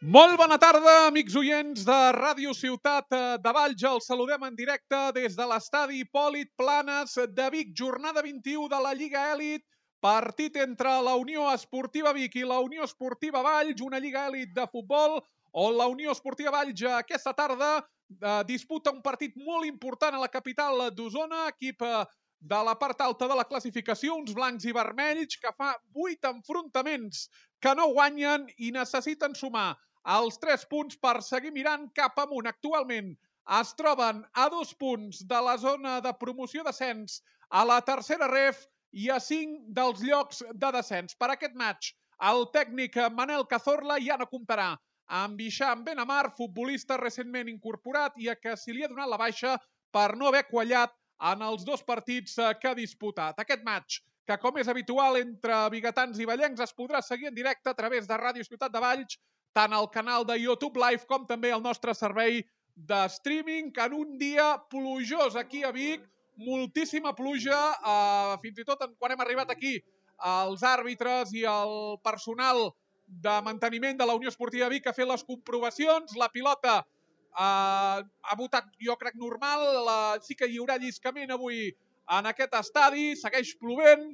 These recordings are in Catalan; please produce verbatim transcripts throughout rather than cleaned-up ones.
Molt bona tarda, amics oients de Ràdio Ciutat de Valls. Els saludem en directe des de l'estadi Hipòlit Planes de Vic. Jornada vint-i-u de la Lliga Èlit. Partit entre la Unió Esportiva Vic i la Unió Esportiva Valls. Una Lliga Èlit de futbol on la Unió Esportiva Valls aquesta tarda eh, disputa un partit molt important a la capital d'Osona. Equip eh, de la part alta de la classificació, uns blancs i vermells que fa vuit enfrontaments que no guanyen i necessiten sumar els tres punts per seguir mirant cap amunt. Actualment es troben a dos punts de la zona de promoció descens a la tercera ref i a cinc dels llocs de descens. Per aquest match, el tècnic Manel Cazorla ja no comptarà amb Hisham Benamar, futbolista recentment incorporat i a què se li ha donat la baixa per no haver quallat en els dos partits que ha disputat. Aquest match, que com és habitual entre biguetans i vallencs, es podrà seguir en directe a través de Ràdio Ciutat de Valls, tant al canal de YouTube Live com també al nostre servei de streaming, que en un dia plujós aquí a Vic, moltíssima pluja, eh, fins i tot quan hem arribat aquí, els àrbitres i el personal de manteniment de la Unió Esportiva Vic ha fet les comprovacions, la pilota eh, ha votat, jo crec, normal, la, sí que hi haurà lliscament avui en aquest estadi, segueix plovent,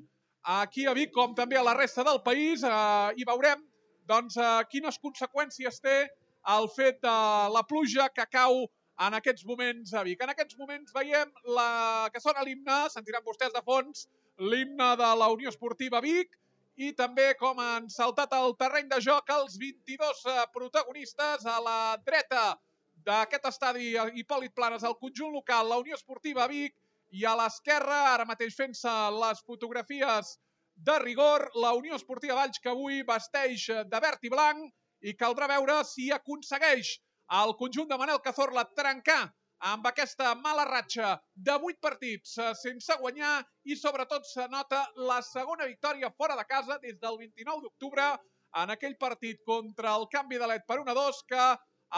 aquí a Vic com també a la resta del país, eh, i veurem doncs, eh, quines conseqüències té el fet de la pluja que cau en aquests moments a Vic. En aquests moments veiem la... que sona l'himne, sentiran vostès de fons, l'himne de la Unió Esportiva Vic, i també com han saltat al terreny de joc els vint-i-dos protagonistes a la dreta d'aquest estadi Hipòlit Planes, el conjunt local, la Unió Esportiva Vic, i a l'esquerra, ara mateix fent-se les fotografies de rigor, la Unió Esportiva Valls, que avui vesteix de verd i blanc, i caldrà veure si aconsegueix el conjunt de Manel Cazorla trencar amb aquesta mala ratxa de vuit partits sense guanyar, i sobretot se nota la segona victòria fora de casa des del vint-i-nou d'octubre en aquell partit contra el Canvi de Led per un a dos, que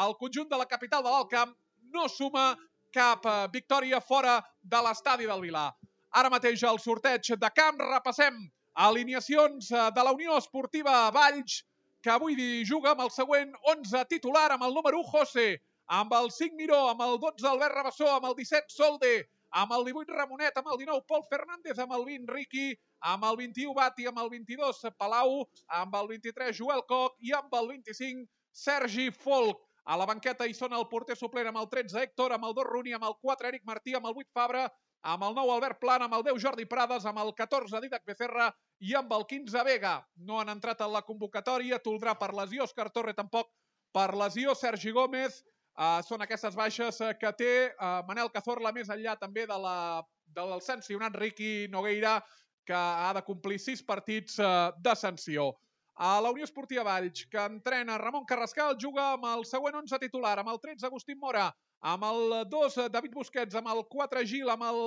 el conjunt de la capital de l'Alt Camp no suma cap victòria fora de l'estadi del Vilar. Ara mateix el sorteig de camp, repassem alineacions de la Unió Esportiva Valls, que avui juga amb el següent onze titular, amb el número u José, amb el cinc Miró, amb el dotze Albert Rabassó, amb el disset Solde, amb el divuit Ramonet, amb el dinou Pol Fernández, amb el vint Riqui, amb el vint-i-u Bati, amb el vint-i-dos Palau, amb el vint-i-tres Joel Coc i amb el vint-i-cinc Sergi Folk. A la banqueta hi són el porter suplent amb el tretze Héctor, amb el dos Runi, amb el quatre Eric Martí, amb el vuit Fabra, amb el nou Albert Plana, amb el deu Jordi Prades, amb el catorze Didac Becerra i amb el quinze Vega. No han entrat en la convocatòria, Toldrà per lesió, Òscar Torre tampoc per lesió, Sergi Gómez. Uh, són aquestes baixes que té uh, Manel Cazorla, més enllà també de la, del sancionat Riqui Nogueira, que ha de complir sis partits uh, de sanció. A la Unió Esportiva Valls, que entrena Ramon Carrascal, juga amb el següent onze titular, amb el tretze Agustín Mora, amb el dos David Busquets, amb el quatre Gil, amb el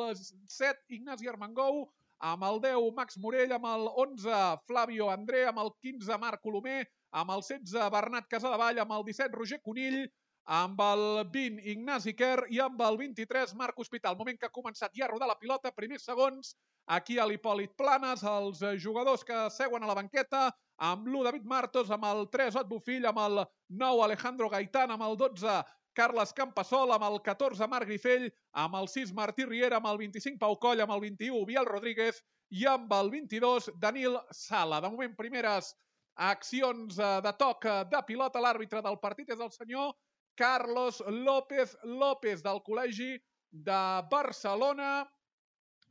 set Ignasi Armengou, amb el deu Max Morell, amb el onze Flavio André, amb el quinze Marc Colomer, amb el setze Bernat Casadevall, amb el disset Roger Conill, amb el vint Ignasi Quer i amb el vint-i-tres Marc Hospital. Moment que ha començat ja a rodar la pilota, primers segons, aquí a l'Hipòlit Planes, els jugadors que seuen a la banqueta, amb l'u David Martos, amb el tres Ot Bofill, amb el nou Alejandro Gaitán, amb el dotze Carles Campasol, amb el catorze Marc Grifell, amb el sis Martí Riera, amb el vint-i-cinc Pau Coll, amb el vint-i-u Biel Rodríguez i amb el vint-i-dos Danil Sala. De moment, primeres accions de toc de pilota. L'àrbitre del partit és el senyor Carlos López López, del Col·legi de Barcelona,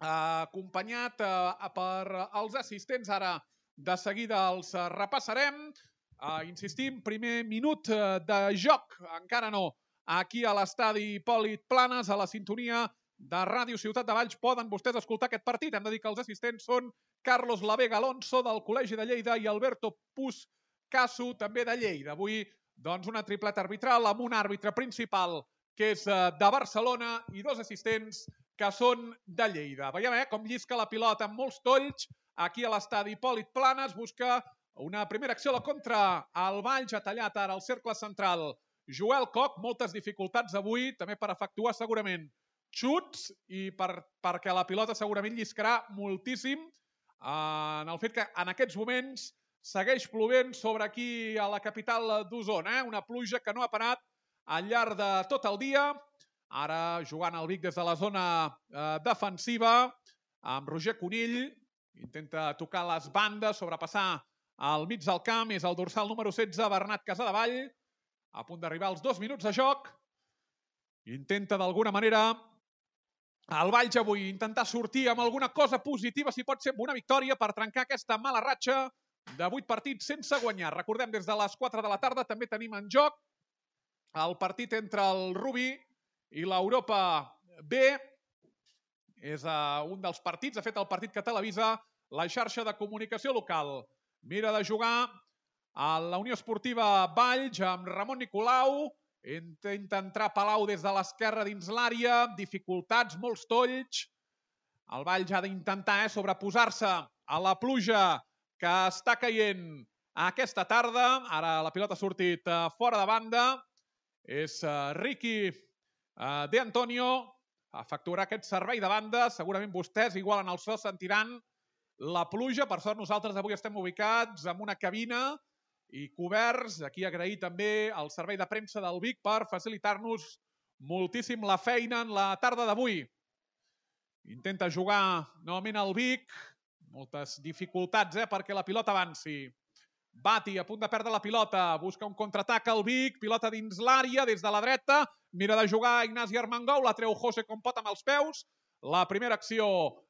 acompanyat per els assistents. Ara de seguida els repassarem. Insistim, primer minut de joc, encara no, aquí a l'estadi Hipòlit Planes, a la sintonia de Ràdio Ciutat de Valls. Poden vostès escoltar aquest partit. Hem de dir que els assistents són Carlos Lavega Alonso, del Col·legi de Lleida, i Alberto Puz Casu, també de Lleida. Avui, doncs, una tripleta arbitral amb un àrbitre principal que és de Barcelona i dos assistents que són de Lleida. Veiem eh, com llisca la pilota amb molts tolls aquí a l'estadi Hipòlit Planes. Busca una primera acció a la contra. El Valls ha tallat ara el cercle central Joel Coc. Moltes dificultats avui, també per efectuar segurament xuts i per, perquè la pilota segurament lliscarà moltíssim, eh, en el fet que en aquests moments segueix plovent sobre aquí a la capital d'Osona. Una pluja que no ha parat al llarg de tot el dia. Ara jugant el Vic des de la zona defensiva amb Roger Conill. Intenta tocar les bandes, sobrepassar al mig del camp. És el dorsal número setze, Bernat Casadevall. A punt d'arribar als dos minuts de joc. Intenta d'alguna manera el Valls avui intentar sortir amb alguna cosa positiva, si pot ser amb una victòria, per trencar aquesta mala ratxa de vuit partits sense guanyar. Recordem, des de les quatre de la tarda també tenim en joc el partit entre el Rubí i l'Europa B. És un dels partits, de fet el partit que televisa la xarxa de comunicació local. Mira de jugar a la Unió Esportiva Valls amb Ramon Nicolau. Intenta entrar Palau des de l'esquerra dins l'àrea. Dificultats, molts tolls. El Valls ha d'intentar eh, sobreposar-se a la pluja que està caient aquesta tarda. Ara la pilota ha sortit uh, fora de banda. És uh, Ricky uh, De Antonio. Efectuarà aquest servei de banda. Segurament vostès, igual en el so, sentiran la pluja. Per sort nosaltres avui estem ubicats en una cabina i coberts. Aquí agrair també el servei de premsa del Vic per facilitar-nos moltíssim la feina en la tarda d'avui. Intenta jugar novament el Vic. Moltes dificultats eh, perquè la pilota avanci. Bati a punt de perdre la pilota. Busca un contraatac al Vic. Pilota dins l'àrea, des de la dreta. Mira de jugar Ignasi Armengou. La treu José com pot amb els peus. La primera acció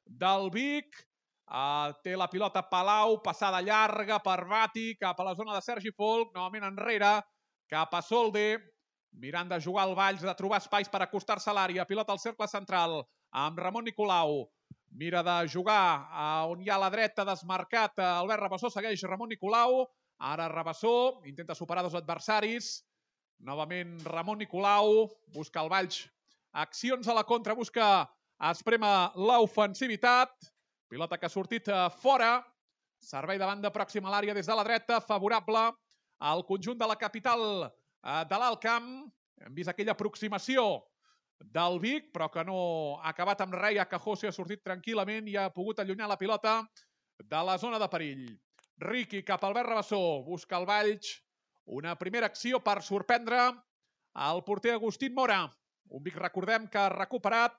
del Vic. Uh, té la pilota Palau, passada llarga per Bati, cap a la zona de Sergi Folk, novament enrere, cap a Solde, mirant de jugar al Valls, de trobar espais per acostar-se a l'àrea, pilota al cercle central, amb Ramon Nicolau, mira de jugar uh, on hi ha a la dreta, desmarcat, uh, Albert Rabassó, segueix Ramon Nicolau, ara Rabassó, intenta superar dos adversaris, novament Ramon Nicolau, busca el Valls, accions a la contra, busca esprema l'ofensivitat, pilota que ha sortit fora, servei de banda pròxima a l'àrea des de la dreta, favorable al conjunt de la capital de l'Alt Camp. Hem vist aquella aproximació del Vic, però que no ha acabat amb res, ja que José ha sortit tranquil·lament i ha pogut allunyar la pilota de la zona de perill. Ricky cap a Albert Rabassó, busca el Valls, una primera acció per sorprendre el porter Agustín Mora. Un Vic, recordem, que ha recuperat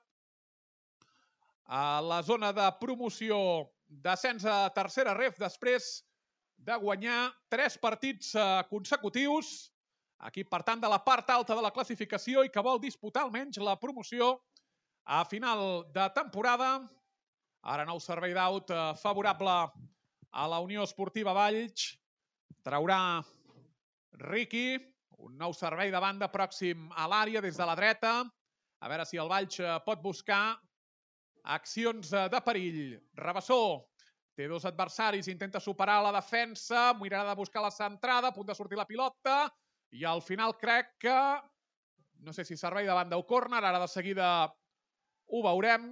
a la zona de promoció d'ascens a tercera ref després de guanyar tres partits consecutius. Equip, per tant, de la part alta de la classificació i que vol disputar almenys la promoció a final de temporada. Ara nou servei d'aut favorable a la Unió Esportiva Valls. Traurà Ricky. Un nou servei de banda pròxim a l'àrea des de la dreta. A veure si el Valls pot buscar accions de perill. Rabassó té dos adversaris, intenta superar la defensa, mirarà de buscar la centrada, a punt de sortir la pilota, i al final crec que, no sé si servei de banda o córner, ara de seguida ho veurem.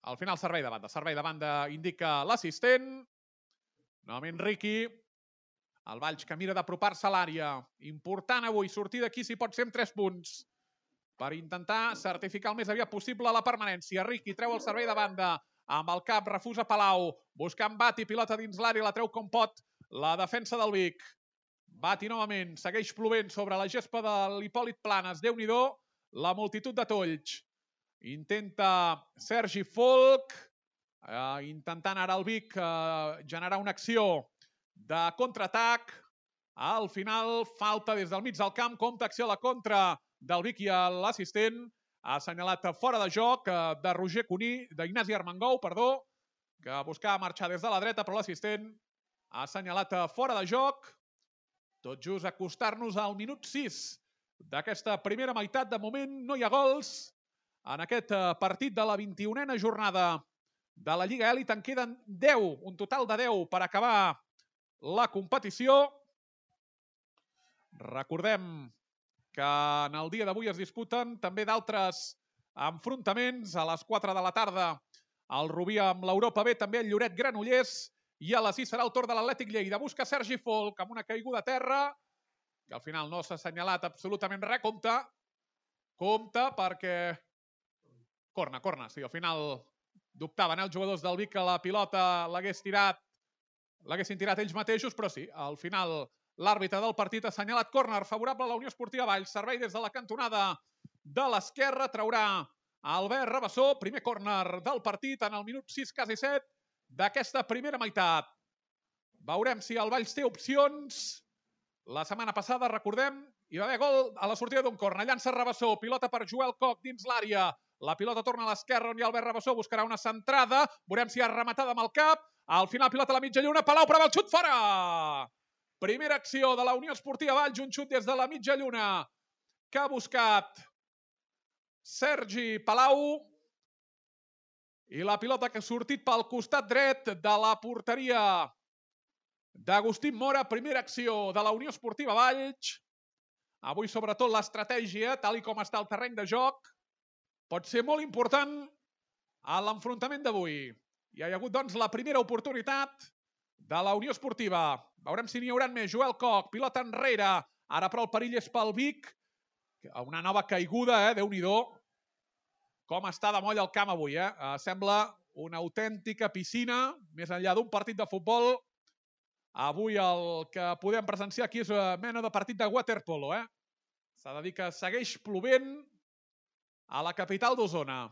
Al final servei de banda, servei de banda indica l'assistent. Novament Ricky, el Valls que mira d'apropar-se a l'àrea. Important avui, sortir d'aquí si pot ser amb tres punts, per intentar certificar el més aviat possible la permanència. Ricky treu el servei de banda, amb el cap refusa Palau, buscant Bati, pilota dins l'àrea, la treu com pot la defensa del Vic. Bati novament, segueix plovent sobre la gespa de l'Hipòlit Planes. Déu-n'hi-do, la multitud de tolls. Intenta Sergi Folk, eh, intentant ara el Vic eh, generar una acció de contraatac. Al final, falta des del mig del camp, compta acció a la contra del Vic i l'assistent. Ha assenyalat fora de joc de Roger Cuní, d'Ignasi Armengou, perdó, que buscava marxar des de la dreta, però l'assistent ha assenyalat fora de joc. Tot just acostar-nos al minut sis d'aquesta primera meitat. De moment no hi ha gols en aquest partit de la vint-i-unena jornada de la Lliga Elit. En queden deu, un total de deu per acabar la competició. Recordem que en el dia d'avui es disputen també d'altres enfrontaments. A les quatre de la tarda el Rubí amb l'Europa B, també el Lloret Granollers, i a les sis serà el torn de l'Atlètic Lleida. Busca Sergi Folk amb una caiguda a terra, que al final no s'ha assenyalat absolutament res. Compte, compte, perquè... Corna, corna, sí, al final dubtaven els jugadors del Vic que la pilota l'hagués tirat l'haguessin tirat ells mateixos, però sí, al final l'àrbitre del partit ha assenyalat córner favorable a la Unió Esportiva Valls. Servei des de la cantonada de l'esquerra, traurà Albert Rabassó, primer córner del partit en el minut sis, quasi set, d'aquesta primera meitat. Veurem si el Valls té opcions. La setmana passada, recordem, hi va haver gol a la sortida d'un córner. Llança Rabassó, pilota per Joel Coc dins l'àrea. La pilota torna a l'esquerra on hi ha Albert Rabassó, buscarà una centrada. Veurem si ha rematada amb el cap. Al final pilota a la mitja lluna, Palau prova el xut fora! Primera acció de la Unió Esportiva Valls, un xut des de la mitja lluna que ha buscat Sergi Palau. I la pilota que ha sortit pel costat dret de la porteria d'Agustín Mora. Primera acció de la Unió Esportiva Valls. Avui, sobretot, l'estratègia, tal i com està el terreny de joc, pot ser molt important a l'enfrontament d'avui. Hi ha hagut, doncs, la primera oportunitat de la Unió Esportiva. Veurem si n'hi haurà més. Joel Coc, pilota enrere. Ara, però, el perill és pel Vic. Una nova caiguda, eh? Déu-n'hi-do. Com està de moll el camp avui, eh? Sembla una autèntica piscina, més enllà d'un partit de futbol. Avui el que podem presenciar aquí és una mena de partit de waterpolo, eh? S'ha de dir que segueix plovent a la capital d'Osona.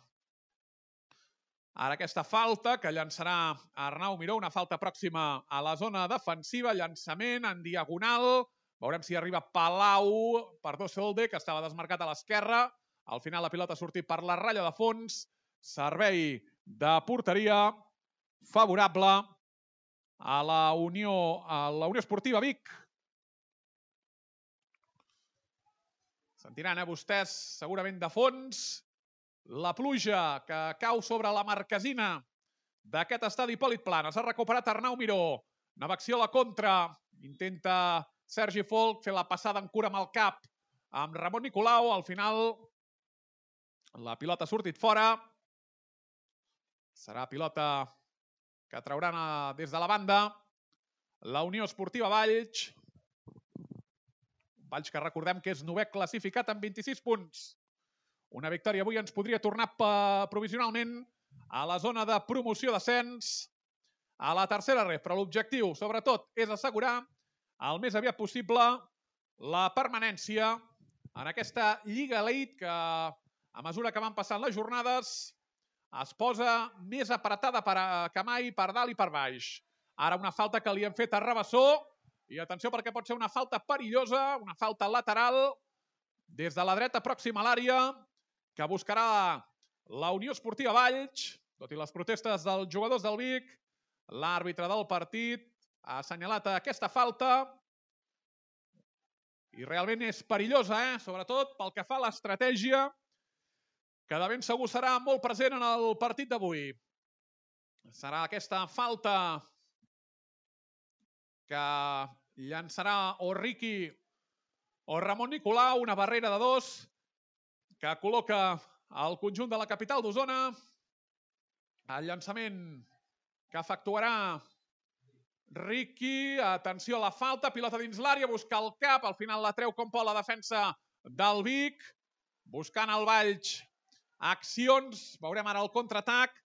Ara aquesta falta que llançarà Arnau Miró, una falta pròxima a la zona defensiva, llançament en diagonal. Veurem si arriba Palau per Dosolde, que estava desmarcat a l'esquerra. Al final la pilota ha sortit per la ratlla de fons. Servei de porteria favorable a la Unió, a la Unió Esportiva Vic. Sentiran, eh, vostès, segurament de fons, la pluja que cau sobre la marquesina d'aquest estadi Hipòlit Planes. Ha recuperat Arnau Miró. Nova acció a la contra. Intenta Sergi Folk fer la passada en cura amb el cap amb Ramon Nicolau. Al final la pilota ha sortit fora. Serà pilota que trauran des de la banda la Unió Esportiva Valls. Valls que recordem que és novè classificat amb vint-i-sis punts. Una victòria avui ens podria tornar provisionalment a la zona de promoció d'ascens a la tercera ref, però l'objectiu, sobretot, és assegurar el més aviat possible la permanència en aquesta Lliga Elite que, a mesura que van passant les jornades, es posa més apretada que mai per dalt i per baix. Ara una falta que li han fet a Rabassó, i atenció perquè pot ser una falta perillosa, una falta lateral des de la dreta pròxima a l'àrea, que buscarà la Unió Esportiva Valls, tot i les protestes dels jugadors del Vic. L'àrbitre del partit ha assenyalat aquesta falta i realment és perillosa, eh? Sobretot pel que fa a l'estratègia, que de ben segur serà molt present en el partit d'avui. Serà aquesta falta que llançarà o Riqui o Ramon Nicolau, una barrera de dos, que col·loca el conjunt de la capital d'Osona. El llançament que efectuarà Riqui. Atenció a la falta, pilota dins l'àrea, busca el cap, al final la treu com pot la defensa del Vic. Buscant el Valls accions, veurem ara el contraatac.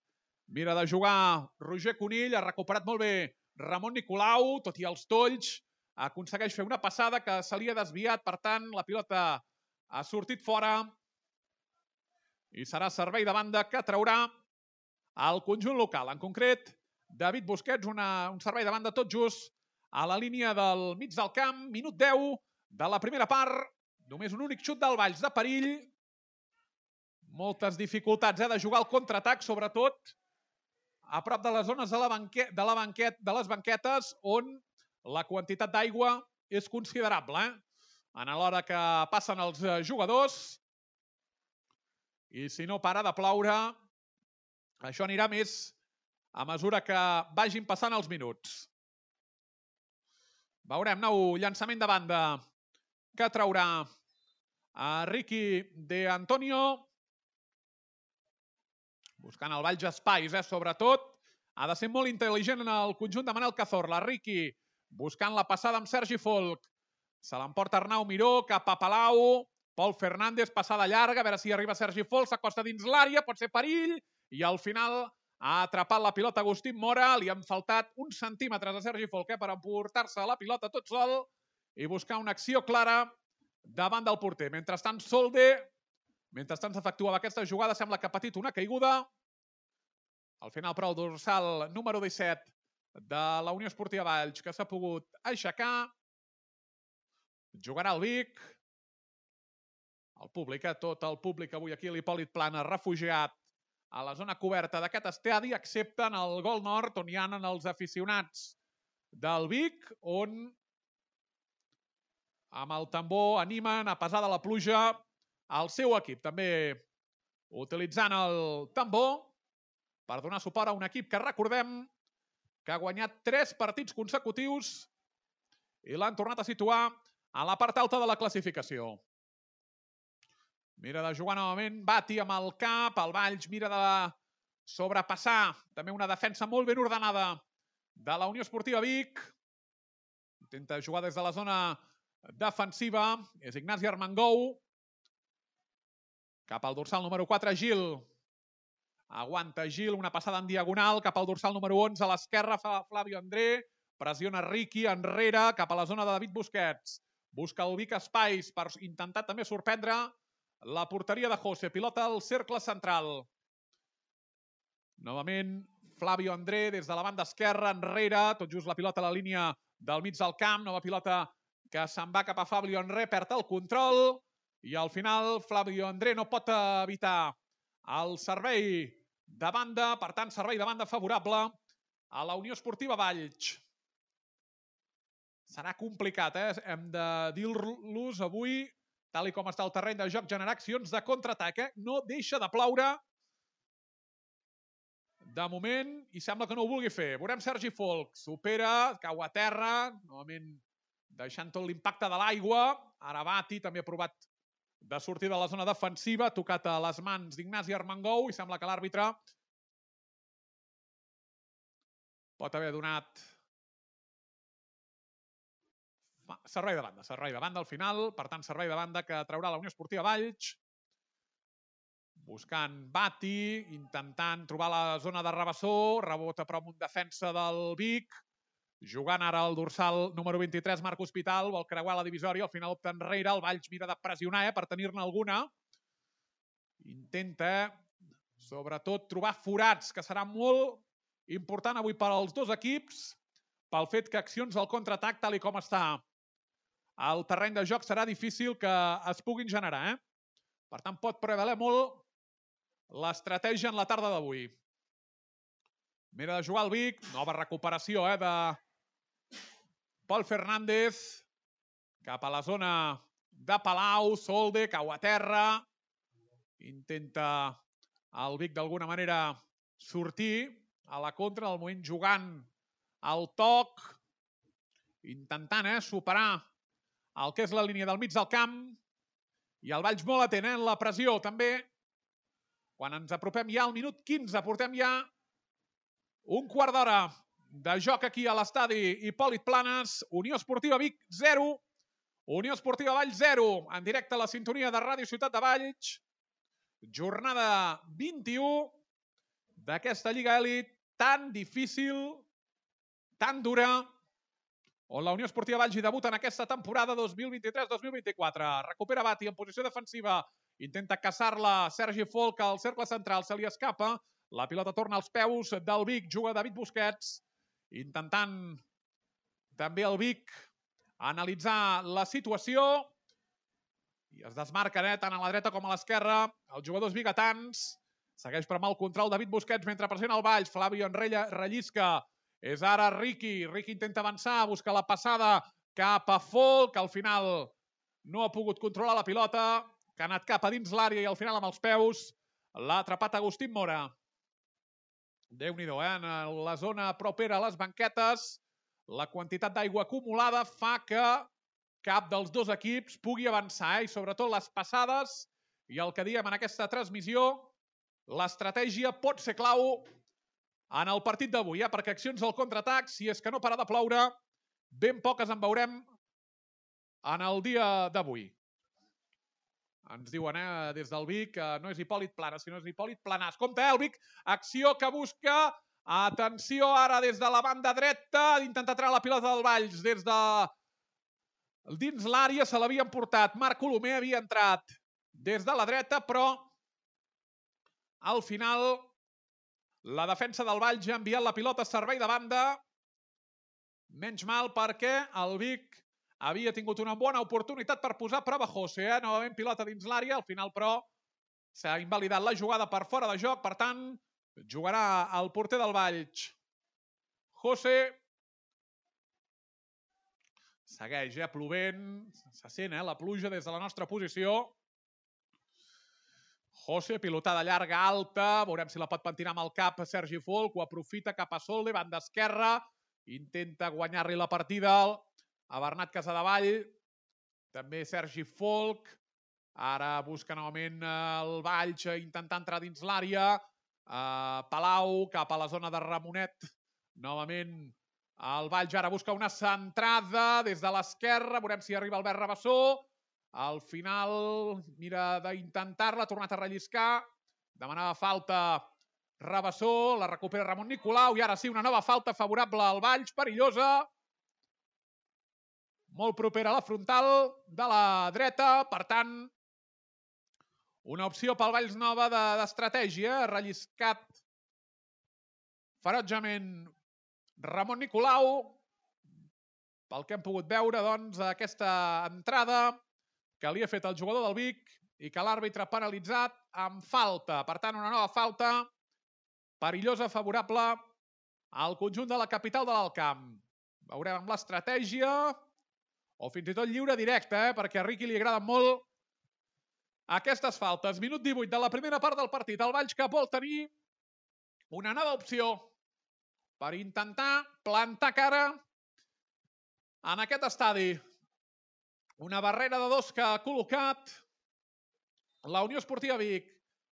Mira de jugar Roger Conill, ha recuperat molt bé Ramon Nicolau, tot i els tolls. Aconsegueix fer una passada que se li ha desviat, per tant la pilota ha sortit fora. I serà servei de banda que traurà el conjunt local. En concret, David Busquets, una, un servei de banda tot just a la línia del mig del camp. Minut deu de la primera part. Només un únic xut del Valls de perill. Moltes dificultats eh, de jugar al contraatac, sobretot a prop de les zones de, la banquet, de, la banquet, de les banquetes, on la quantitat d'aigua és considerable. Eh? En l'hora que passen els jugadors. I si no para de ploure, això anirà més a mesura que vagin passant els minuts. Veurem nou llançament de banda que traurà a Riqui de Antonio. Buscant el Valls espais, eh? Sobretot. Ha de ser molt intel·ligent en el conjunt de Manel Cazorla. Riqui buscant la passada amb Sergi Folk. Se l'emporta Arnau Miró cap a Palau. Pol Fernández, passada llarga, a veure si arriba Sergi Folk, s'acosta dins l'àrea, pot ser perill, i al final Ha atrapat la pilota Agustín Mora. Li han faltat uns centímetres a Sergi Folk eh, per emportar-se la pilota tot sol i buscar una acció clara davant del porter. Mentrestant, Solde, mentrestant s'efectuava aquesta jugada, sembla que ha patit una caiguda. Al final, però, el dorsal número disset de la Unió Esportiva Valls, que s'ha pogut aixecar. Jugarà el Vic. El públic, eh? Tot el públic avui aquí a l'Hipòlit Plana, refugiat a la zona coberta d'aquest estadi, excepte en el gol nord, on hi ha els aficionats del Vic, on amb el tambor animen, a pesar de la pluja, el seu equip. També utilitzant el tambor per donar suport a un equip que recordem que ha guanyat tres partits consecutius i l'han tornat a situar a la part alta de la classificació. Mira de jugar novament Bati amb el cap, el Valls mira de sobrepassar també una defensa molt ben ordenada de la Unió Esportiva Vic. Intenta jugar des de la zona defensiva, és Ignasi Armengou. Cap al dorsal número quatre, Gil. Aguanta Gil, una passada en diagonal, cap al dorsal número onze, a l'esquerra fa Flavio André, pressiona Riqui enrere, cap a la zona de David Busquets. Busca el Vic espais per intentar també sorprendre la porteria de José. Pilota al cercle central. Novament, Flavio André des de la banda esquerra, enrere, tot just la pilota a la línia del mig del camp, nova pilota que se'n va cap a Flavio André, perd el control, i al final Flavio André no pot evitar el servei de banda, per tant, servei de banda favorable a la Unió Esportiva Valls. Serà complicat, eh? Hem de dir-los avui, tal com està el terreny de joc, generar accions de contraatac, eh? No deixa de ploure de moment i sembla que no ho vulgui fer. Veurem Sergi Folk, supera, cau a terra, novament deixant tot l'impacte de l'aigua. Ara Bati també ha provat de sortir de la zona defensiva, ha tocat a les mans d'Ignasi Armengou i sembla que l'àrbitre pot haver donat servei de banda, servei de banda al final, per tant servei de banda que traurà la Unió Esportiva Valls, buscant Bati, intentant trobar la zona de Rabassó, rebota però amb un defensa del Vic, jugant ara el dorsal número vint-i-tres, Marc Hospital, vol creuar la divisòria, al final opta enrere, el Valls mira de pressionar eh, per tenir-ne alguna. Intenta, sobretot, trobar forats, que serà molt important avui per als dos equips, pel fet que accions del contraatac, tal i com està el terreny de joc, serà difícil que es puguin generar. Eh? Per tant, pot prevaler molt l'estratègia en la tarda d'avui. Mira de jugar el Vic, nova recuperació eh, de Pol Fernández, cap a la zona de Palau, Solde, cau a terra, intenta el Vic d'alguna manera sortir a la contra, al moment jugant el toc, intentant eh, superar el que és la línia del mig del camp, i el Valls molt atent eh, en la pressió també. Quan ens apropem ja al minut quinze, portem ja un quart d'hora de joc aquí a l'estadi Hipòlit Planes. Unió Esportiva Vic zero, Unió Esportiva Valls zero, en directe a la sintonia de Ràdio Ciutat de Valls. Jornada vint-i-u d'aquesta Lliga Elit tan difícil, tan dura, on la Unió Esportiva Valls hi debuta en aquesta temporada dos mil vint-i-tres dos mil vint-i-quatre. Recupera Bati en posició defensiva, intenta caçar-la Sergi Folk al cercle central, se li escapa, la pilota torna als peus del Vic, juga David Busquets, intentant també el Vic analitzar la situació, i es desmarquen eh, tant a la dreta com a l'esquerra els jugadors biguetans. Segueix per mal control David Busquets mentre pressiona el Valls, Flavio Enrella rellisca, és ara Riqui, Riqui intenta avançar, busca la passada cap a Folk, al final no ha pogut controlar la pilota, que ha anat cap a dins l'àrea i al final amb els peus l'ha atrapat Agustín Mora. Déu-n'hi-do, eh? En la zona propera a les banquetes, la quantitat d'aigua acumulada fa que cap dels dos equips pugui avançar, eh? I sobretot les passades, i el que diem en aquesta transmissió, l'estratègia pot ser clau en el partit d'avui, eh? Perquè accions al contraatac, si és que no para de ploure, ben poques en veurem en el dia d'avui. Ens diuen eh, des del Vic que no és Hipòlit Planas, sinó és Hipòlit Planàs. Compte, eh, el Vic, acció que busca. Atenció ara des de la banda dreta, d'intentar treure la pilota del Valls. Des de dins l'àrea se l'havien portat. Marc Colomer havia entrat des de la dreta, però al final la defensa del Valls ha enviat la pilota a servei de banda. Menys mal perquè el Vic havia tingut una bona oportunitat per posar a prova José. Eh? Novament pilota dins l'àrea, al final però s'ha invalidat la jugada per fora de joc, per tant jugarà el porter del Valls. José segueix eh, plovent, se sent eh, la pluja des de la nostra posició. José, pilotada llarga, alta, veurem si la pot pentinar amb el cap Sergi Folk, ho aprofita cap a Solde, banda esquerra, intenta guanyar-li la partida a Bernat Casadevall, també Sergi Folk, ara busca novament el Valls, intentant entrar dins l'àrea, Palau cap a la zona de Ramonet, novament el Valls ara busca una centrada des de l'esquerra, veurem si arriba Albert Rabassó, al final mira d'intentar-la, ha tornat a relliscar, demanava falta Rabassó, la recupera Ramon Nicolau i ara sí, una nova falta favorable al Valls, perillosa, molt propera a la frontal de la dreta, per tant, una opció pel Valls nova d'estratègia, de, relliscat ferotgement Ramon Nicolau, pel que hem pogut veure, doncs, aquesta entrada que li ha fet el jugador del Vic i que l'àrbitre ha penalitzat amb falta. Per tant, una nova falta perillosa, favorable al conjunt de la capital de l'Alt Camp. Veurem amb l'estratègia o fins i tot lliure directe, eh? perquè a Riqui li agraden molt aquestes faltes. Minut divuit de la primera part del partit. El Valls que vol tenir una nova opció per intentar plantar cara en aquest estadi. Una barrera de dos que ha col·locat la Unió Esportiva Vic.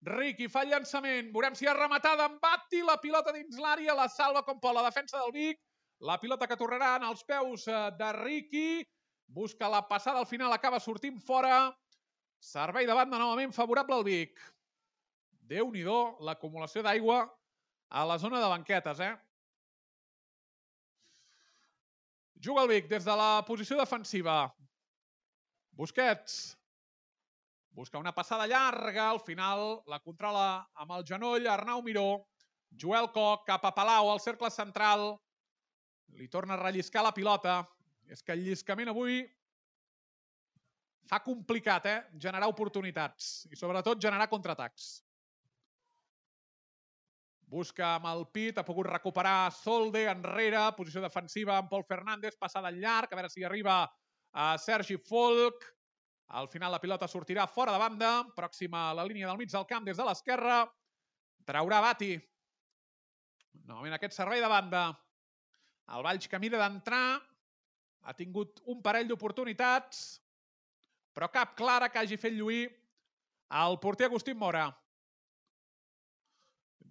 Riqui fa el llançament. Veurem si ha rematada en Batti. La pilota dins l'àrea. La salva com pot la defensa del Vic. La pilota que tornarà en els peus de Riqui. Busca la passada. Al final acaba sortint fora. Servei de banda novament favorable al Vic. Déu-n'hi-do l'acumulació d'aigua a la zona de banquetes, eh? Juga el Vic des de la posició defensiva. Busquets. Busca una passada llarga. Al final la controla amb el genoll Arnau Miró. Joel Koch cap a Palau al cercle central. Li torna a relliscar la pilota. És que el lliscament avui fa complicat, eh? Generar oportunitats i sobretot generar contraatacs. Busca amb el pit, ha pogut recuperar Solde enrere, posició defensiva amb Pol Fernández, passada en llarg, a veure si arriba a Sergi Folk. Al final la pilota sortirà fora de banda, pròxima a la línia del mig del camp des de l'esquerra. Traurà Batti. Novament aquest servei de banda. El Valls que mira d'entrar, ha tingut un parell d'oportunitats, però cap clara que hagi fet lluir el porter Agustín Mora.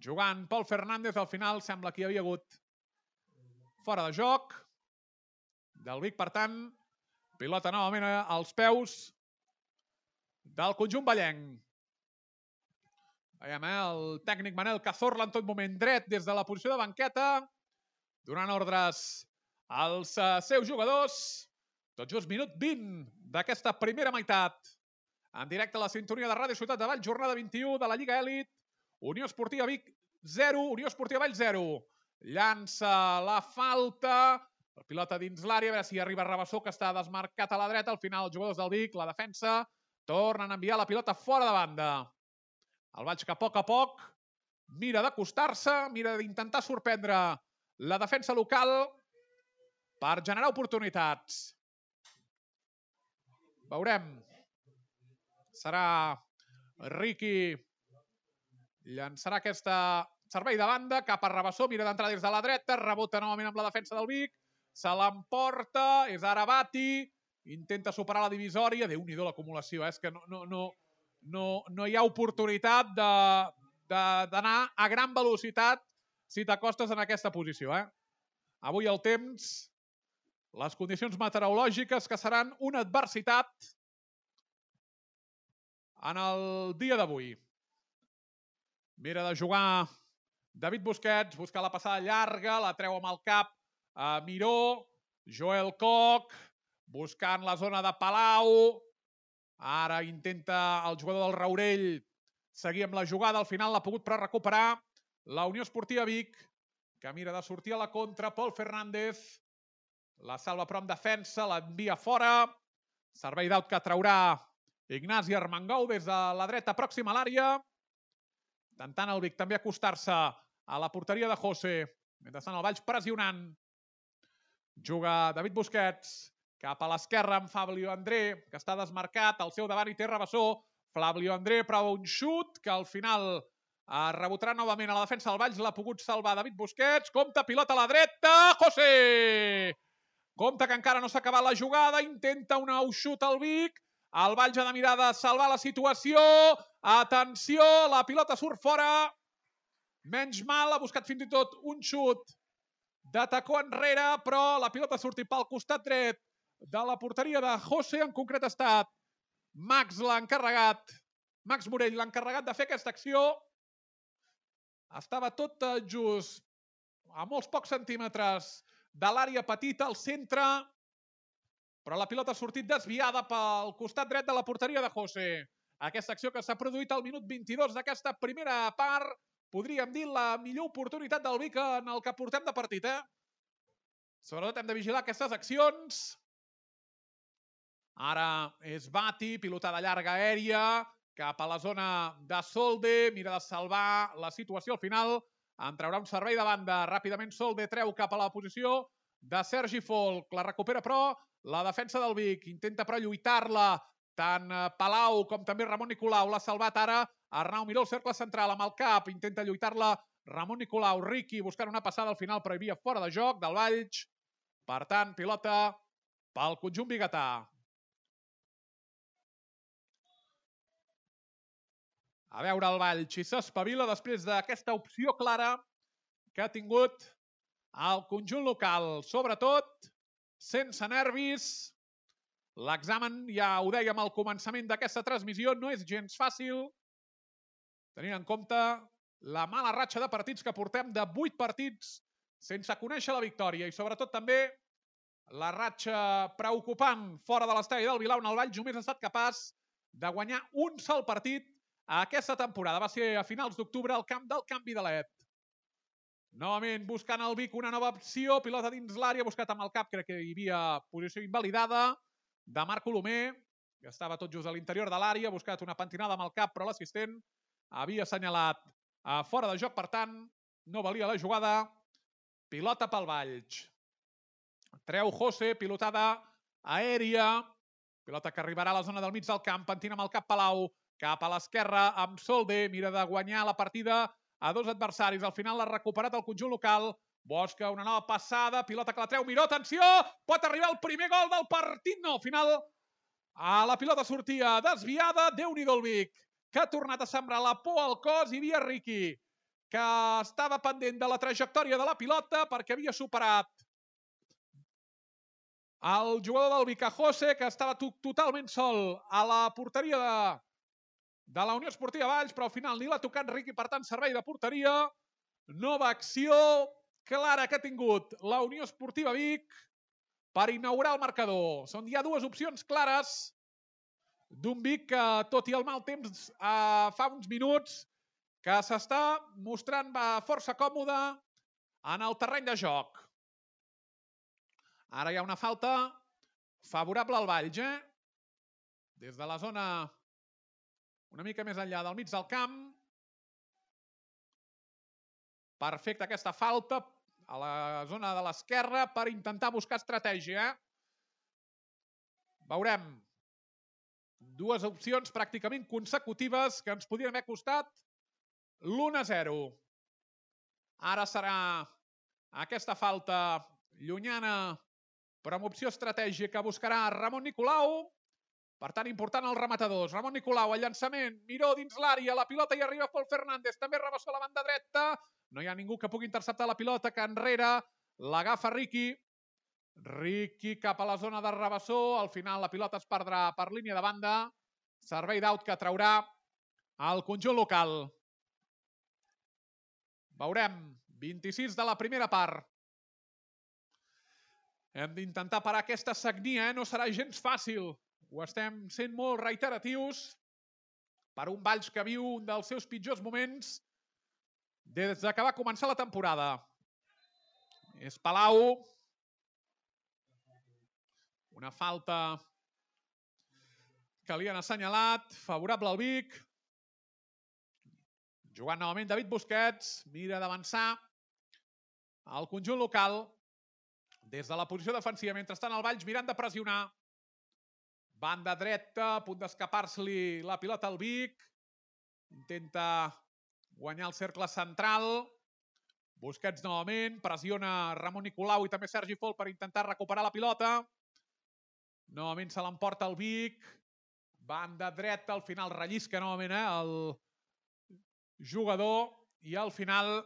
Jugant Pol Fernández, al final sembla que hi havia hagut fora de joc del Vic, per tant, pilota novament als peus del conjunt vallenc. Veiem, eh? El tècnic Manel Cazorla en tot moment dret des de la posició de banqueta, donant ordres als seus jugadors. Tot just minut vint d'aquesta primera meitat. En directe a la sintonia de Ràdio Ciutat de Valls, jornada vint-i-u de la Lliga Elit. Unió Esportiva Vic zero, Unió Esportiva Valls zero. Llança la falta. La pilota dins l'àrea, a veure si arriba Rabassó, que està desmarcat a la dreta. Al final els jugadors del Vic, la defensa, tornen a enviar la pilota fora de banda. El Valls que a poc a poc mira d'acostar-se, mira d'intentar sorprendre la defensa local per generar oportunitats. Veurem. Serà Riqui. Llançarà aquesta servei de banda cap a Rabassó, mira d'entrar des de la dreta, rebota novament amb la defensa del Vic, se l'emporta, és ara Batti, intenta superar la divisòria, Déu-n'hi-do l'acumulació, eh? És que no, no, no, no, no hi ha oportunitat d'anar a gran velocitat si t'acostes en aquesta posició. Eh? Avui el temps, les condicions meteorològiques que seran una adversitat en el dia d'avui. Mira de jugar David Busquets, busca la passada llarga, la treu amb el cap a Miró, Joel Koch, buscant la zona de Palau. Ara intenta el jugador del Raurell seguir amb la jugada, al final l'ha pogut però recuperar la Unió Esportiva Vic, que mira de sortir a la contra. Pol Fernández la salva però amb defensa, l'envia fora. Servei d'aut que traurà Ignasi Armengou des de la dreta pròxima a l'àrea. Intentant el Vic també acostar-se a la porteria de José. Mentrestant el Valls pressionant. Juga David Busquets cap a l'esquerra amb Fabio André, que està desmarcat. Al seu davant hi té Rabassó. Fabio André prova un xut que al final eh, rebotarà novament a la defensa del Valls. L'ha pogut salvar David Busquets. Compte, pilota a la dreta. José! Compte que encara no s'ha acabat la jugada. Intenta un nou xut al Vic. El Valls ha de mirar de salvar la situació. Atenció, la pilota surt fora. Menys mal, ha buscat fins i tot un xut de tacó enrere, però la pilota ha sortit pel costat dret de la porteria de José. En concret ha estat Max l'encarregat, Max Morell l'encarregat de fer aquesta acció. Estava tot just a molts pocs centímetres de l'àrea petita, al centre, però la pilota ha sortit desviada pel costat dret de la porteria de José. Aquesta acció que s'ha produït al minut vint-i-dos d'aquesta primera part, podríem dir la millor oportunitat del Vic en el que portem de partit, eh? Sobretot hem de vigilar aquestes accions. Ara és Bati, pilotada llarga aèria, cap a la zona de Solde, mira de salvar la situació al final, en traurà un servei de banda. Ràpidament Solde treu cap a la posició de Sergi Folk, la recupera però la defensa del Vic, intenta però lluitar-la tant Palau com també Ramon Nicolau. L'ha salvat ara Arnau Miró, el cercle central amb el cap, intenta lluitar-la Ramon Nicolau. Riqui buscant una passada al final però hi havia fora de joc del Valls. Per tant, pilota pel conjunt biguetà. A veure el Valls si s'espavila després d'aquesta opció clara que ha tingut el conjunt local. Sobretot, sense nervis. L'examen, ja ho dèiem al començament d'aquesta transmissió, no és gens fàcil, tenint en compte la mala ratxa de partits que portem, de vuit partits sense conèixer la victòria, i sobretot també la ratxa preocupant fora de l'estadi del Vilar, on el Valls només ha estat capaç de guanyar un sol partit a aquesta temporada. Va ser a finals d'octubre al camp del Canvi de l'Et. Novament buscant el Vic una nova opció, pilota dins l'àrea, buscat amb el cap, crec que hi havia posició invalidada de Marc Colomer, que estava tot just a l'interior de l'àrea, buscat una pentinada amb el cap, però l'assistent havia assenyalat a fora de joc, per tant, no valia la jugada. Pilota pel Valls. Treu José, pilotada aèria, pilota que arribarà a la zona del mig del camp, pentina amb el cap Palau, cap a l'esquerra amb Solde, mira de guanyar la partida a dos adversaris. Al final l'ha recuperat el conjunt local. Busca una nova passada, pilota que la treu Miró, atenció, pot arribar el primer gol del partit. No, al final a la pilota sortia desviada. Déu-n'hi-do el Vic, que ha tornat a sembrar la por al cos. Hi havia Riqui, que estava pendent de la trajectòria de la pilota perquè havia superat el jugador del Vic, José, que estava totalment sol a la porteria de, de la Unió Esportiva Valls, però al final ni l'ha tocat Riqui, per tant, servei de porteria. Nova acció clara que ha tingut la Unió Esportiva Vic per inaugurar el marcador. Són ja dues opcions clares d'un Vic que, tot i el mal temps, eh, fa uns minuts que s'està mostrant força còmode en el terreny de joc. Ara hi ha una falta favorable al Valls, eh? Des de la zona una mica més enllà del mig del camp. Perfecta aquesta falta a la zona de l'esquerra per intentar buscar estratègia. Veurem dues opcions pràcticament consecutives que ens podrien haver costat l'u a zero. Ara serà aquesta falta llunyana, però amb opció estratègica que buscarà Ramon Nicolau. Per tant, important els rematadors. Ramon Nicolau, el llançament, Miró dins l'àrea, la pilota hi arriba Pol Fernández, també Rabassó a la banda dreta. No hi ha ningú que pugui interceptar la pilota, que enrere l'agafa Riqui. Riqui cap a la zona de Rabassó. Al final la pilota es perdrà per línia de banda Servei d'aut que traurà el conjunt local. Veurem. vint-i-sis de la primera part. Hem d'intentar parar aquesta sagnia, eh? No serà gens fàcil. Ho estem sent molt reiteratius per un Valls que viu un dels seus pitjors moments des que va començar la temporada. És Palau. Una falta que li han assenyalat. Favorable al Vic. Jugant novament David Busquets. Mira d'avançar el conjunt local des de la posició defensiva. Mentrestant el Valls mirant de pressionar. Banda dreta, a punt d'escapar-se-li la pilota al Vic. Intenta guanyar el cercle central. Busquets novament, pressiona Ramon Nicolau i també Sergi Fol per intentar recuperar la pilota. Novament se l'emporta el Vic. Banda dreta, al final rellisca novament eh, el jugador i al final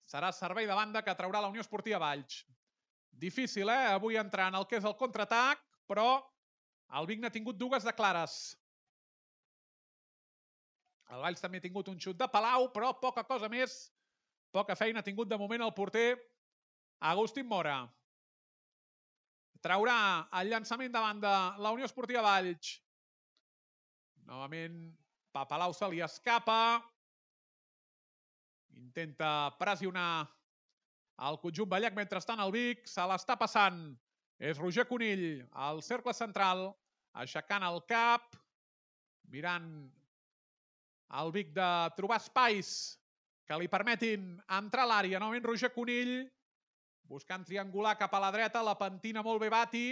serà servei de banda que traurà la Unió Esportiva Valls. Difícil, eh? Avui entrar en el que és el contraatac, però el Vic n'ha tingut dues de clares. El Valls també ha tingut un xut de Palau, però poca cosa més. Poca feina ha tingut de moment el porter Agustín Mora. Traurà el llançament de banda la Unió Esportiva Valls. Novament Palau se li escapa. Intenta pressionar el conjunt Ballac. Mentrestant el Vic se l'està passant. És Roger Conill al cercle central, aixecant el cap, mirant el Vic de trobar espais que li permetin entrar a l'àrea. Novament Roger Conill, buscant triangular cap a la dreta, la pentina molt bé Bati,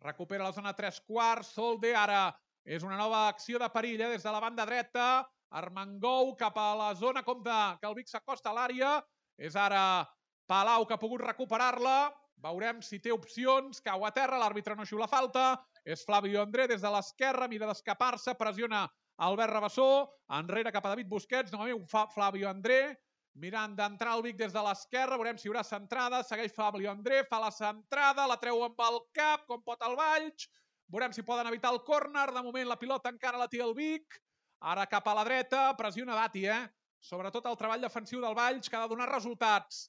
recupera la zona tres quarts, Solde, ara és una nova acció de perill eh? Des de la banda dreta, Armengou cap a la zona, compte que el Vic s'acosta a l'àrea, és ara Palau que ha pogut recuperar-la, veurem si té opcions, cau a terra, l'àrbitre no xiula falta, és Flavio André des de l'esquerra, mira d'escapar-se, pressiona Albert Rabassó, enrere cap a David Busquets, novament fa Flavio André, mirant d'entrar el Vic des de l'esquerra, veurem si hi haurà centrada, segueix Flavio André, fa la centrada, la treu amb el cap, com pot el Valls, veurem si poden evitar el córner, de moment la pilota encara la té el Vic, ara cap a la dreta, pressiona Bati, eh? Sobretot el treball defensiu del Valls que ha de donar resultats.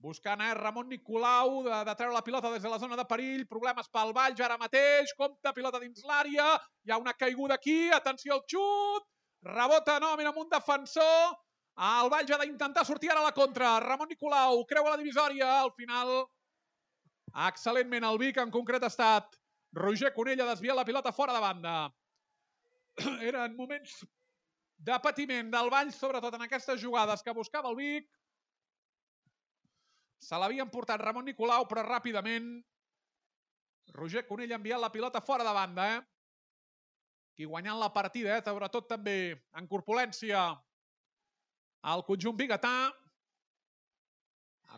Buscant eh, Ramon Nicolau de, de treure la pilota des de la zona de perill, problemes pel Valls ara mateix, compte, pilota dins l'àrea, hi ha una caiguda aquí, atenció al xut, rebota novament amb un defensor, el Valls ha d'intentar sortir ara a la contra, Ramon Nicolau creua la divisòria, al final excel·lentment el Vic, en concret ha estat Roger Conill, ha desviat la pilota fora de banda. Eren moments de patiment del Valls, sobretot en aquestes jugades que buscava el Vic. Se l'havien portat Ramon Nicolau, però ràpidament Roger Conill ha enviat la pilota fora de banda. Eh? Qui guanyant la partida, eh? Sobretot també en corpulència al conjunt biguetà.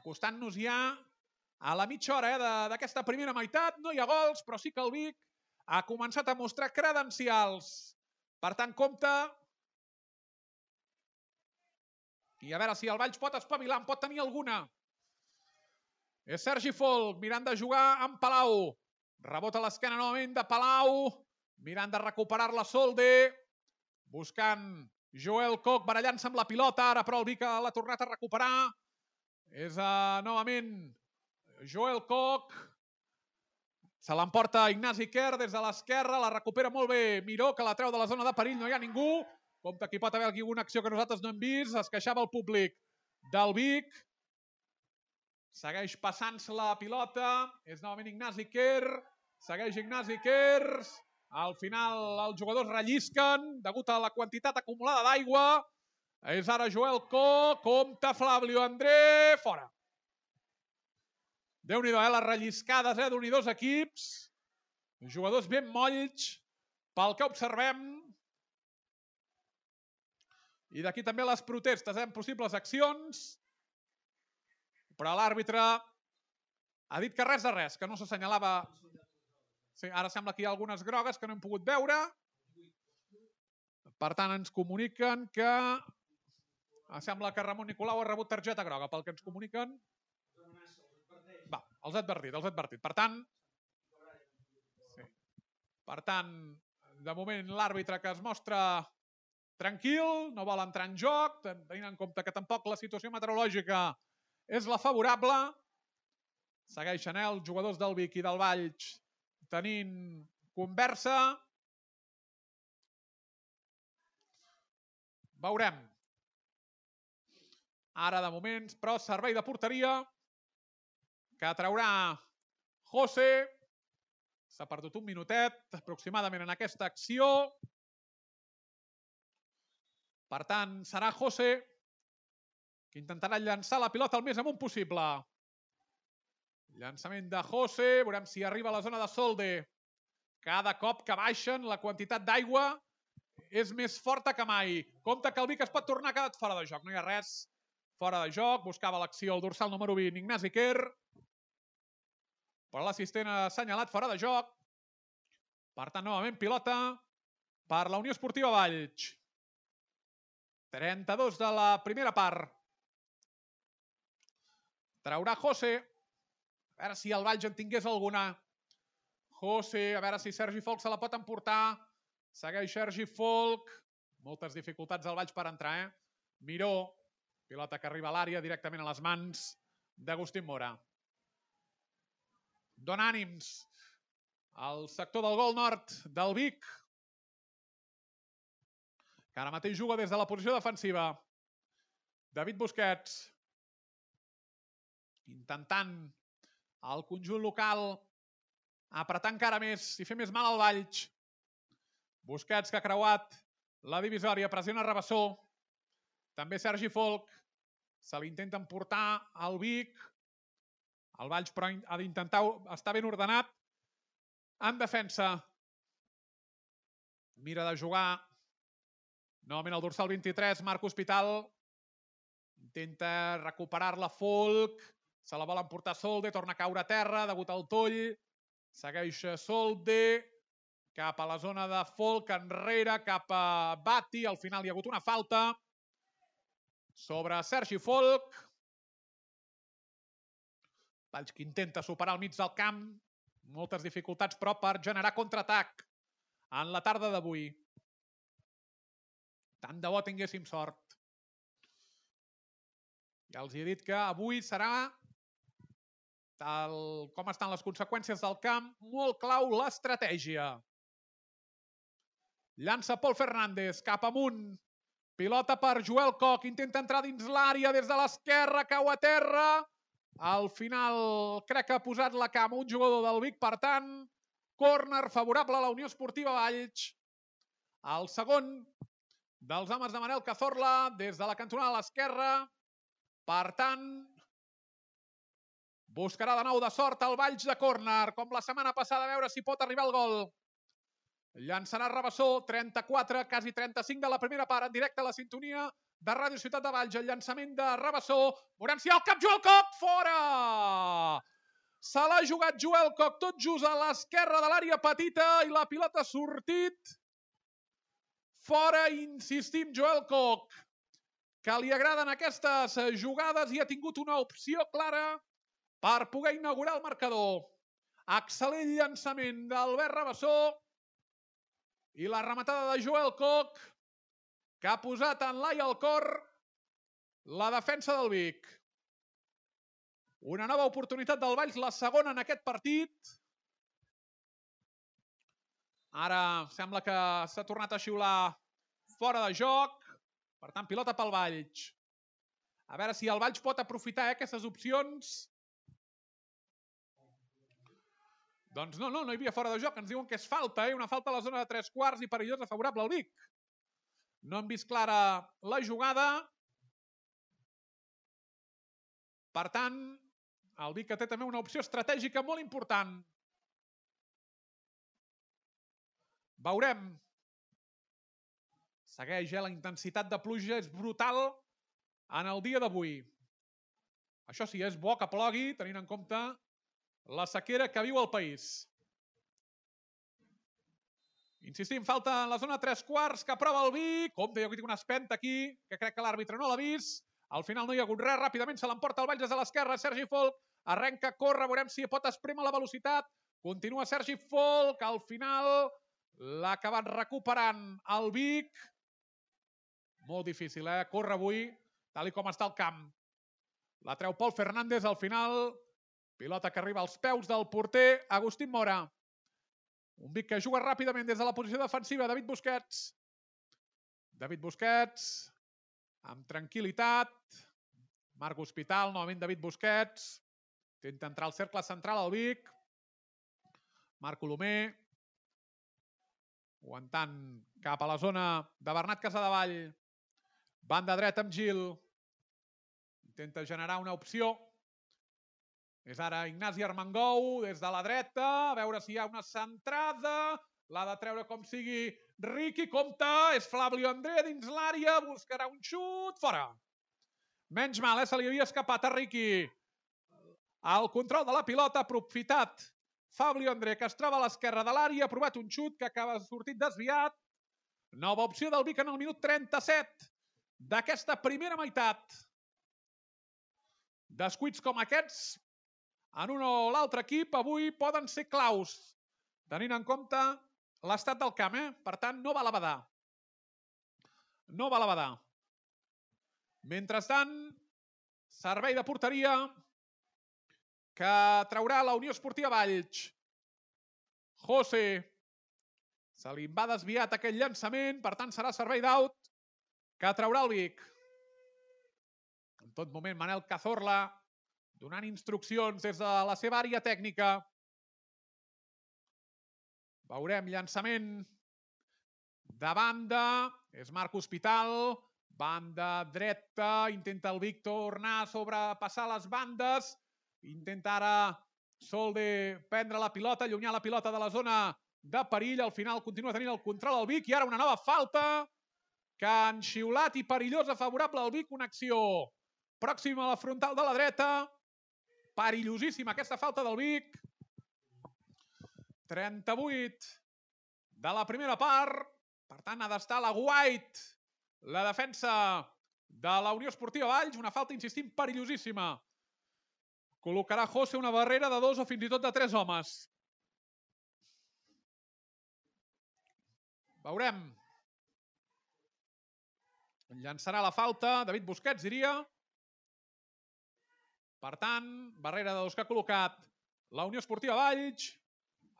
Acostant-nos ja a la mitja hora eh? d'aquesta primera meitat. No hi ha gols, però sí que el Vic ha començat a mostrar credencials. Per tant, compte. I a veure si el Valls pot espavilar, en pot tenir alguna. És Sergi Folk, mirant de jugar amb Palau. Rebota a l'esquena novament de Palau. Mirant de recuperar-la Solde. Buscant Joel Koch, barallant-se amb la pilota. Ara però el Vic l'ha tornat a recuperar. És uh, novament Joel Koch. Se l'emporta Ignasi Kerr des de l'esquerra. La recupera molt bé Miró, que la treu de la zona de perill. No hi ha ningú. Compte que hi pot haver alguna acció que nosaltres no hem vist. Es queixava el públic del Vic. Segueix passant-se la pilota, és novament Ignasi Kerr, segueix Ignasi Kerr, al final els jugadors rellisquen degut a la quantitat acumulada d'aigua, és ara Joel Koch, compta Flavio André, fora. Déu-n'hi-do, eh, les relliscades eh, d'unir dos equips, jugadors ben molls pel que observem, i d'aquí també les protestes, eh, en possibles accions, però l'àrbitre ha dit que res de res, que no s'assenyalava. Sí, ara sembla que hi ha algunes grogues que no hem pogut veure. Per tant, ens comuniquen que... Sembla que Ramon Nicolau ha rebut targeta groga, pel que ens comuniquen. Va, els ha advertit, els ha advertit. Per tant, sí. Per tant, De moment l'àrbitre que es mostra tranquil, no vol entrar en joc, tenint en compte que tampoc la situació meteorològica és la favorable. Segueixen els jugadors del Vic i del Valls tenint conversa. Veurem. Ara de moments, però servei de porteria que traurà José. S'ha perdut un minutet aproximadament en aquesta acció. Per tant, serà José que intentarà llançar la pilota el més amunt possible. Llançament de José. Veurem si arriba a la zona de Solde. Cada cop que baixen, la quantitat d'aigua és més forta que mai. Compte que el Vic es pot tornar, ha quedat fora de joc. No hi ha res fora de joc. Buscava l'acció el dorsal número vint, Ignasi Quer. Però l'assistent ha assenyalat fora de joc. Per tant, novament pilota per la Unió Esportiva Valls. trenta-dos de la primera part. Traurà José. A veure si el Valls en tingués alguna. José, a veure si Sergi Folch se la pot emportar. Segueix Sergi Folch. Moltes dificultats al Valls per entrar, eh? Miró. Pilota que arriba a l'àrea directament a les mans d'Agustín Mora. Dona ànims al sector del gol nord del Vic, que ara mateix juga des de la posició defensiva. David Busquets intentant el conjunt local apretar encara més i fer més mal al Valls. Busquets que ha creuat la divisòria, pressiona Rabassó. També Sergi Folch. Se l'intenta emportar al Vic. El Valls però ha d'intentar estar ben ordenat en defensa. Mira de jugar novament el dorsal vint-i-tres, Marc Hospital. Intenta recuperar-la Folch. Se la vol emportar Solde, torna a caure a terra degut al toll. Segueix Solde cap a la zona de Folch, enrere, cap a Bati. Al final hi ha hagut una falta sobre Sergi Folch. Valls que intenta superar al mig del camp. Moltes dificultats, però, per generar contraatac en la tarda d'avui. Tant de bo tinguéssim sort. Ja els he dit que avui serà, tal com estan les conseqüències del camp, molt clau l'estratègia. Llança Pol Fernández cap amunt. Pilota per Joel Koch. Intenta entrar dins l'àrea des de l'esquerra, cau a terra. Al final crec que ha posat la cama un jugador del Vic, per tant, córner favorable a la Unió Esportiva Valls. El segon dels homes de Manel Cazorla des de la cantonada a l'esquerra. Per tant, buscarà de nou de sort el Valls de córner, com la setmana passada, a veure si pot arribar al gol. Llançarà Rabassó, trenta-quatre, quasi trenta-cinc de la primera part, en directe a la sintonia de Ràdio Ciutat de Valls. El llançament de Rabassó. Veurem si hi ha el cap Joel Koch. Fora! Se l'ha jugat Joel Koch tot just a l'esquerra de l'àrea petita i la pilota ha sortit fora. Insistim, Joel Koch, que li agraden aquestes jugades i ha tingut una opció clara per poder inaugurar el marcador. Excel·lent llançament d'Albert Rabassó i la rematada de Joel Koch, que ha posat en l'ai al cor la defensa del Vic. Una nova oportunitat del Valls, la segona en aquest partit. Ara sembla que s'ha tornat a xiular fora de joc. Per tant, pilota pel Valls. A veure si el Valls pot aprofitar eh, aquestes opcions. Doncs no, no, no hi havia fora de joc. Ens diuen que és falta, eh? Una falta a la zona de tres quarts i perillosa favorable al Vic. No hem vist clara la jugada. Per tant, el Vic que té també una opció estratègica molt important. Veurem. Segueix, eh? La intensitat de pluja és brutal en el dia d'avui. Això sí, és bo que plogui, tenint en compte la sequera que viu el país. Insistim, falta en la zona tres quarts que aprova el Vic. Compte, jo que tinc una espenta aquí, que crec que l'àrbitre no l'ha vist. Al final no hi ha hagut res, ràpidament se l'emporta el Valls des de l'esquerra. Sergi Folch arrenca, corre, veurem si pot esprémer la velocitat. Continua Sergi Folch, al final L'ha acabat recuperant el Vic. Molt difícil, eh? Corre avui, tal com està el camp. La treu Pol Fernández al final. Pilota que arriba als peus del porter Agustín Mora. Un Vic que juga ràpidament des de la posició defensiva. David Busquets. David Busquets. Amb tranquil·litat. Marc Hospital, novament David Busquets. Intenta entrar al cercle central al Vic. Marc Colomer. Aguantant cap a la zona de Bernat Casadevall. Banda dreta amb Gil. Intenta generar una opció. És ara Ignasi Armengou des de la dreta. A veure si hi ha una centrada. L'ha de treure com sigui Riqui. Compte. És Flavio André dins l'àrea. Buscarà un xut. Fora. Menys mal, eh? Se li havia escapat a Riqui. El control de la pilota aprofitat. Fabio André, que es troba a l'esquerra de l'àrea, ha provat un xut que acaba sortit desviat. Nova opció del Vic en el minut trenta-set d'aquesta primera meitat. Descuits com aquests en un o l'altre equip avui poden ser claus, tenint en compte l'estat del camp, eh? Per tant, no val a badar. No val a badar. Mentrestant, servei de porteria que traurà la Unió Esportiva Valls. José. Se li va desviat aquell llançament, per tant serà servei d'aut que traurà el Vic. En tot moment Manel Cazorla donant instruccions des de la seva àrea tècnica. Veurem llançament de banda. És Marc Hospital. Banda dreta. Intenta el Vic tornar a sobrepassar les bandes. Intenta ara Solde prendre la pilota, allunyar la pilota de la zona de perill. Al final continua tenint el control el Vic. I ara una nova falta que han xiulat i perillosa favorable al Vic. Una acció pròxima a la frontal de la dreta. Perillosíssima aquesta falta del Vic. trenta-vuit de la primera part. Per tant, ha d'estar la White, la defensa de la Unió Esportiva Valls. Una falta, insistim, perillosíssima. Col·locarà José una barrera de dos o fins i tot de tres homes. Veurem. Llançarà la falta. David Busquets, diria. Per tant, barrera de dos que ha col·locat la Unió Esportiva Valls.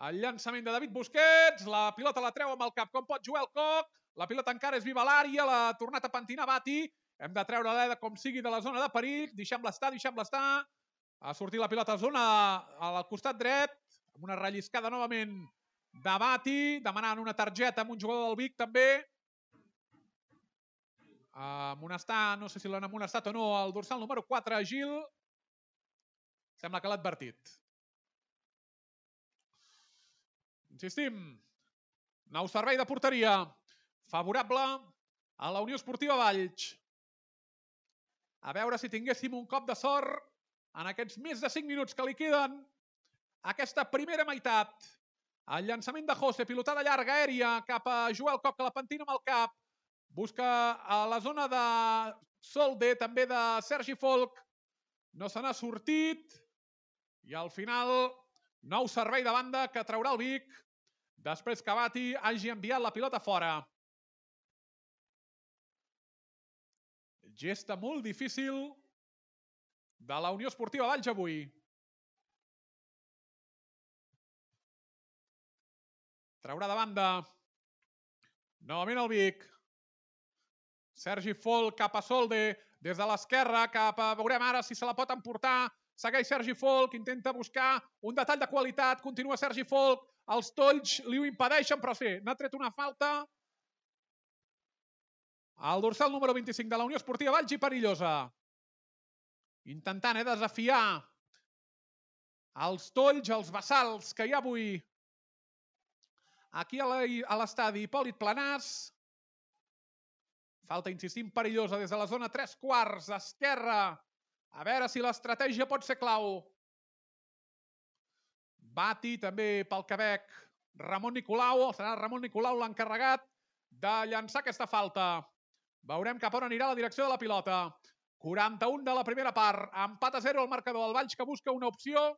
El llançament de David Busquets. La pilota la treu amb el cap com pot Joel Coc. La pilota encara és viva a l'àrea. L'ha tornat a pentinar Bati. Hem de treure l'Eda com sigui de la zona de perill. Deixem-la estar, deixem-la estar. Ha sortit la pilota a zona al costat dret. Amb una relliscada novament de Bati. Demanant una targeta amb un jugador del Vic també. Amonestar, no sé si l'han amonestat o no, el dorsal número quatre, Gil. Sembla que l'ha advertit. Insistim. Nou servei de porteria. Favorable a la Unió Esportiva Valls. A veure si tinguéssim un cop de sort en aquests més de cinc minuts que li queden aquesta primera meitat. El llançament de José, pilotada llarga aèria cap a Joel Coc, que la pentina amb el cap. Busca a la zona de Solde, també de Sergi Folk. No se n'ha sortit. I al final, nou servei de banda que traurà el Vic després que Bati hagi enviat la pilota fora. Gesta molt difícil de la Unió Esportiva Valls avui. Traurà de banda novament el Vic. Sergi Folk cap a Solde, des de l'esquerra cap a... Veurem ara si se la pot emportar. Segueix Sergi Folk, intenta buscar un detall de qualitat. Continua Sergi Folk. Els tolls li ho impedeixen, però sí, n'ha tret una falta. El dorsal número vint-i-cinc de la Unió Esportiva Valls i perillosa. Intentant eh, desafiar els tolls, els bassals que hi ha avui aquí a l'estadi Hipòlit Planàs. Falta, insistim, perillosa des de la zona tres quarts, esquerra. A veure si l'estratègia pot ser clau. Bati també pel Quebec. Ramon Nicolau, serà Ramon Nicolau l'encarregat de llançar aquesta falta. Veurem cap on anirà la direcció de la pilota. quaranta-un de la primera part. Empat a zero el marcador. El Valls que busca una opció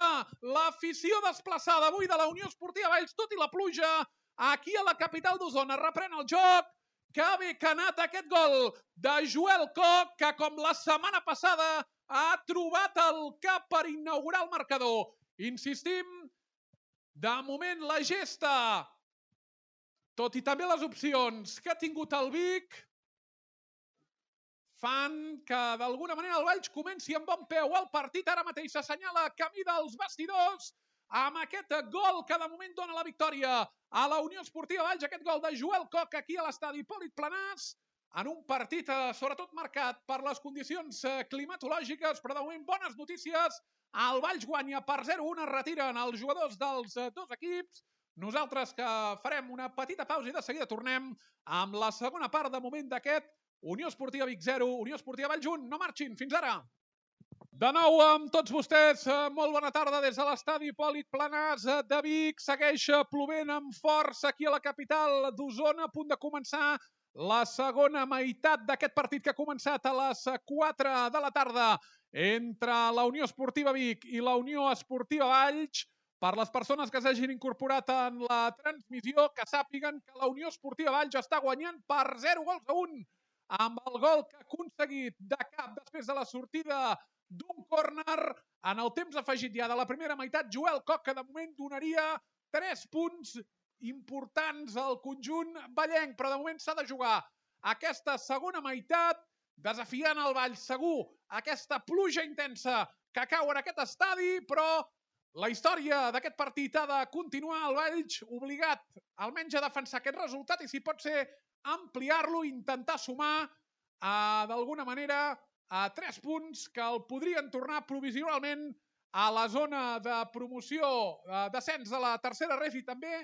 l'afició desplaçada avui de la Unió Esportiva Valls, tot i la pluja, aquí a la capital d'Osona. Reprèn el joc, que bé que ha anat aquest gol de Joel Coc, que com la setmana passada ha trobat el cap per inaugurar el marcador. Insistim, de moment la gesta, tot i també les opcions que ha tingut el Vic, fan que d'alguna manera el Valls comenci amb bon peu el partit. Ara mateix s'assenyala camí dels vestidors amb aquest gol que de moment dona la victòria a la Unió Esportiva Valls, aquest gol de Joel Coc aquí a l'estadi Hipòlit Planàs, en un partit eh, sobretot marcat per les condicions eh, climatològiques, però de moment bones notícies. El Valls guanya per zero a un, es retiren els jugadors dels eh, dos equips. Nosaltres que farem una petita pausa i de seguida tornem amb la segona part de moment d'aquest Unió Esportiva Vic zero, Unió Esportiva Valls un. No marxin, fins ara. De nou amb tots vostès, molt bona tarda des de l'estadi Hipòlit Planàs de Vic. Segueix plovent amb força aquí a la capital d'Osona, a punt de començar la segona meitat d'aquest partit que ha començat a les quatre de la tarda entre la Unió Esportiva Vic i la Unió Esportiva Valls. Per les persones que s'hagin incorporat en la transmissió, que sàpiguen que la Unió Esportiva Valls està guanyant per zero gols a un, amb el gol que ha aconseguit de cap després de la sortida d'un córner en el temps afegit ja de la primera meitat. Joel Coc, que de moment donaria tres punts importants al conjunt vallenc, però de moment s'ha de jugar aquesta segona meitat, desafiant el Valls segur aquesta pluja intensa que cau en aquest estadi, però la història d'aquest partit ha de continuar. El Valls obligat almenys a defensar aquest resultat i si pot ser ampliar-lo, intentar sumar eh, d'alguna manera a tres punts que el podrien tornar provisionalment a la zona de promoció, eh, descens de la tercera ref i també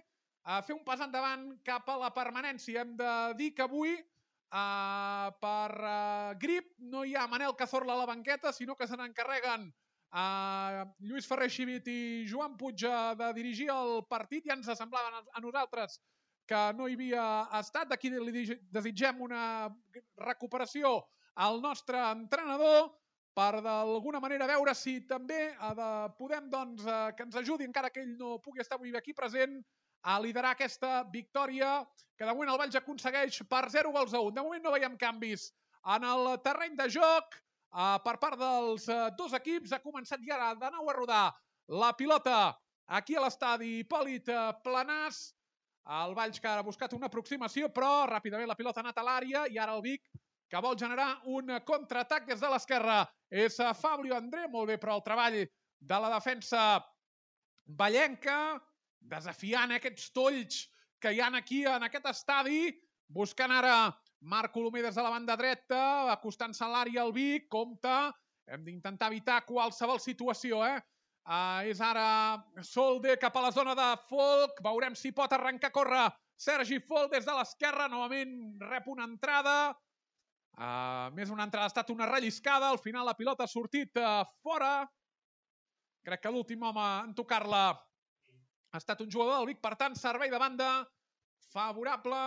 a fer un pas endavant cap a la permanència. Hem de dir que avui eh, per eh, grip no hi ha Manel Cazorla a la banqueta, sinó que se n'encarreguen eh, Lluís Ferrer Xivit i Joan Puig de dirigir el partit. Ja ens semblaven a nosaltres que no hi havia estat. D'aquí li desitgem una recuperació al nostre entrenador per d'alguna manera veure si també de, podem doncs, eh, que ens ajudi, encara que ell no pugui estar avui aquí present, a liderar aquesta victòria que de moment el Valls aconsegueix per zero gols a un. De moment no veiem canvis en el terreny de joc eh, per part dels eh, dos equips. Ha començat ja de nou a rodar la pilota aquí a l'estadi Hipòlit Planàs. El Valls que ha buscat una aproximació, però ràpidament la pilota ha anat a l'àrea i ara el Vic que vol generar un contraatac des de l'esquerra. És Fabio André, molt bé, però el treball de la defensa vallenca, desafiant aquests tolls que hi ha aquí en aquest estadi, buscant ara Marc Colomer des de la banda dreta, acostant-se a l'àrea al Vic, compte, hem d'intentar evitar qualsevol situació, eh? Uh, és ara Solde cap a la zona de Folk, veurem si pot arrencar a córrer Sergi Folk des de l'esquerra, novament rep una entrada, uh, més una entrada, ha estat una relliscada, al final la pilota ha sortit uh, fora, crec que l'últim home en tocar-la ha estat un jugador del Vic, per tant servei de banda favorable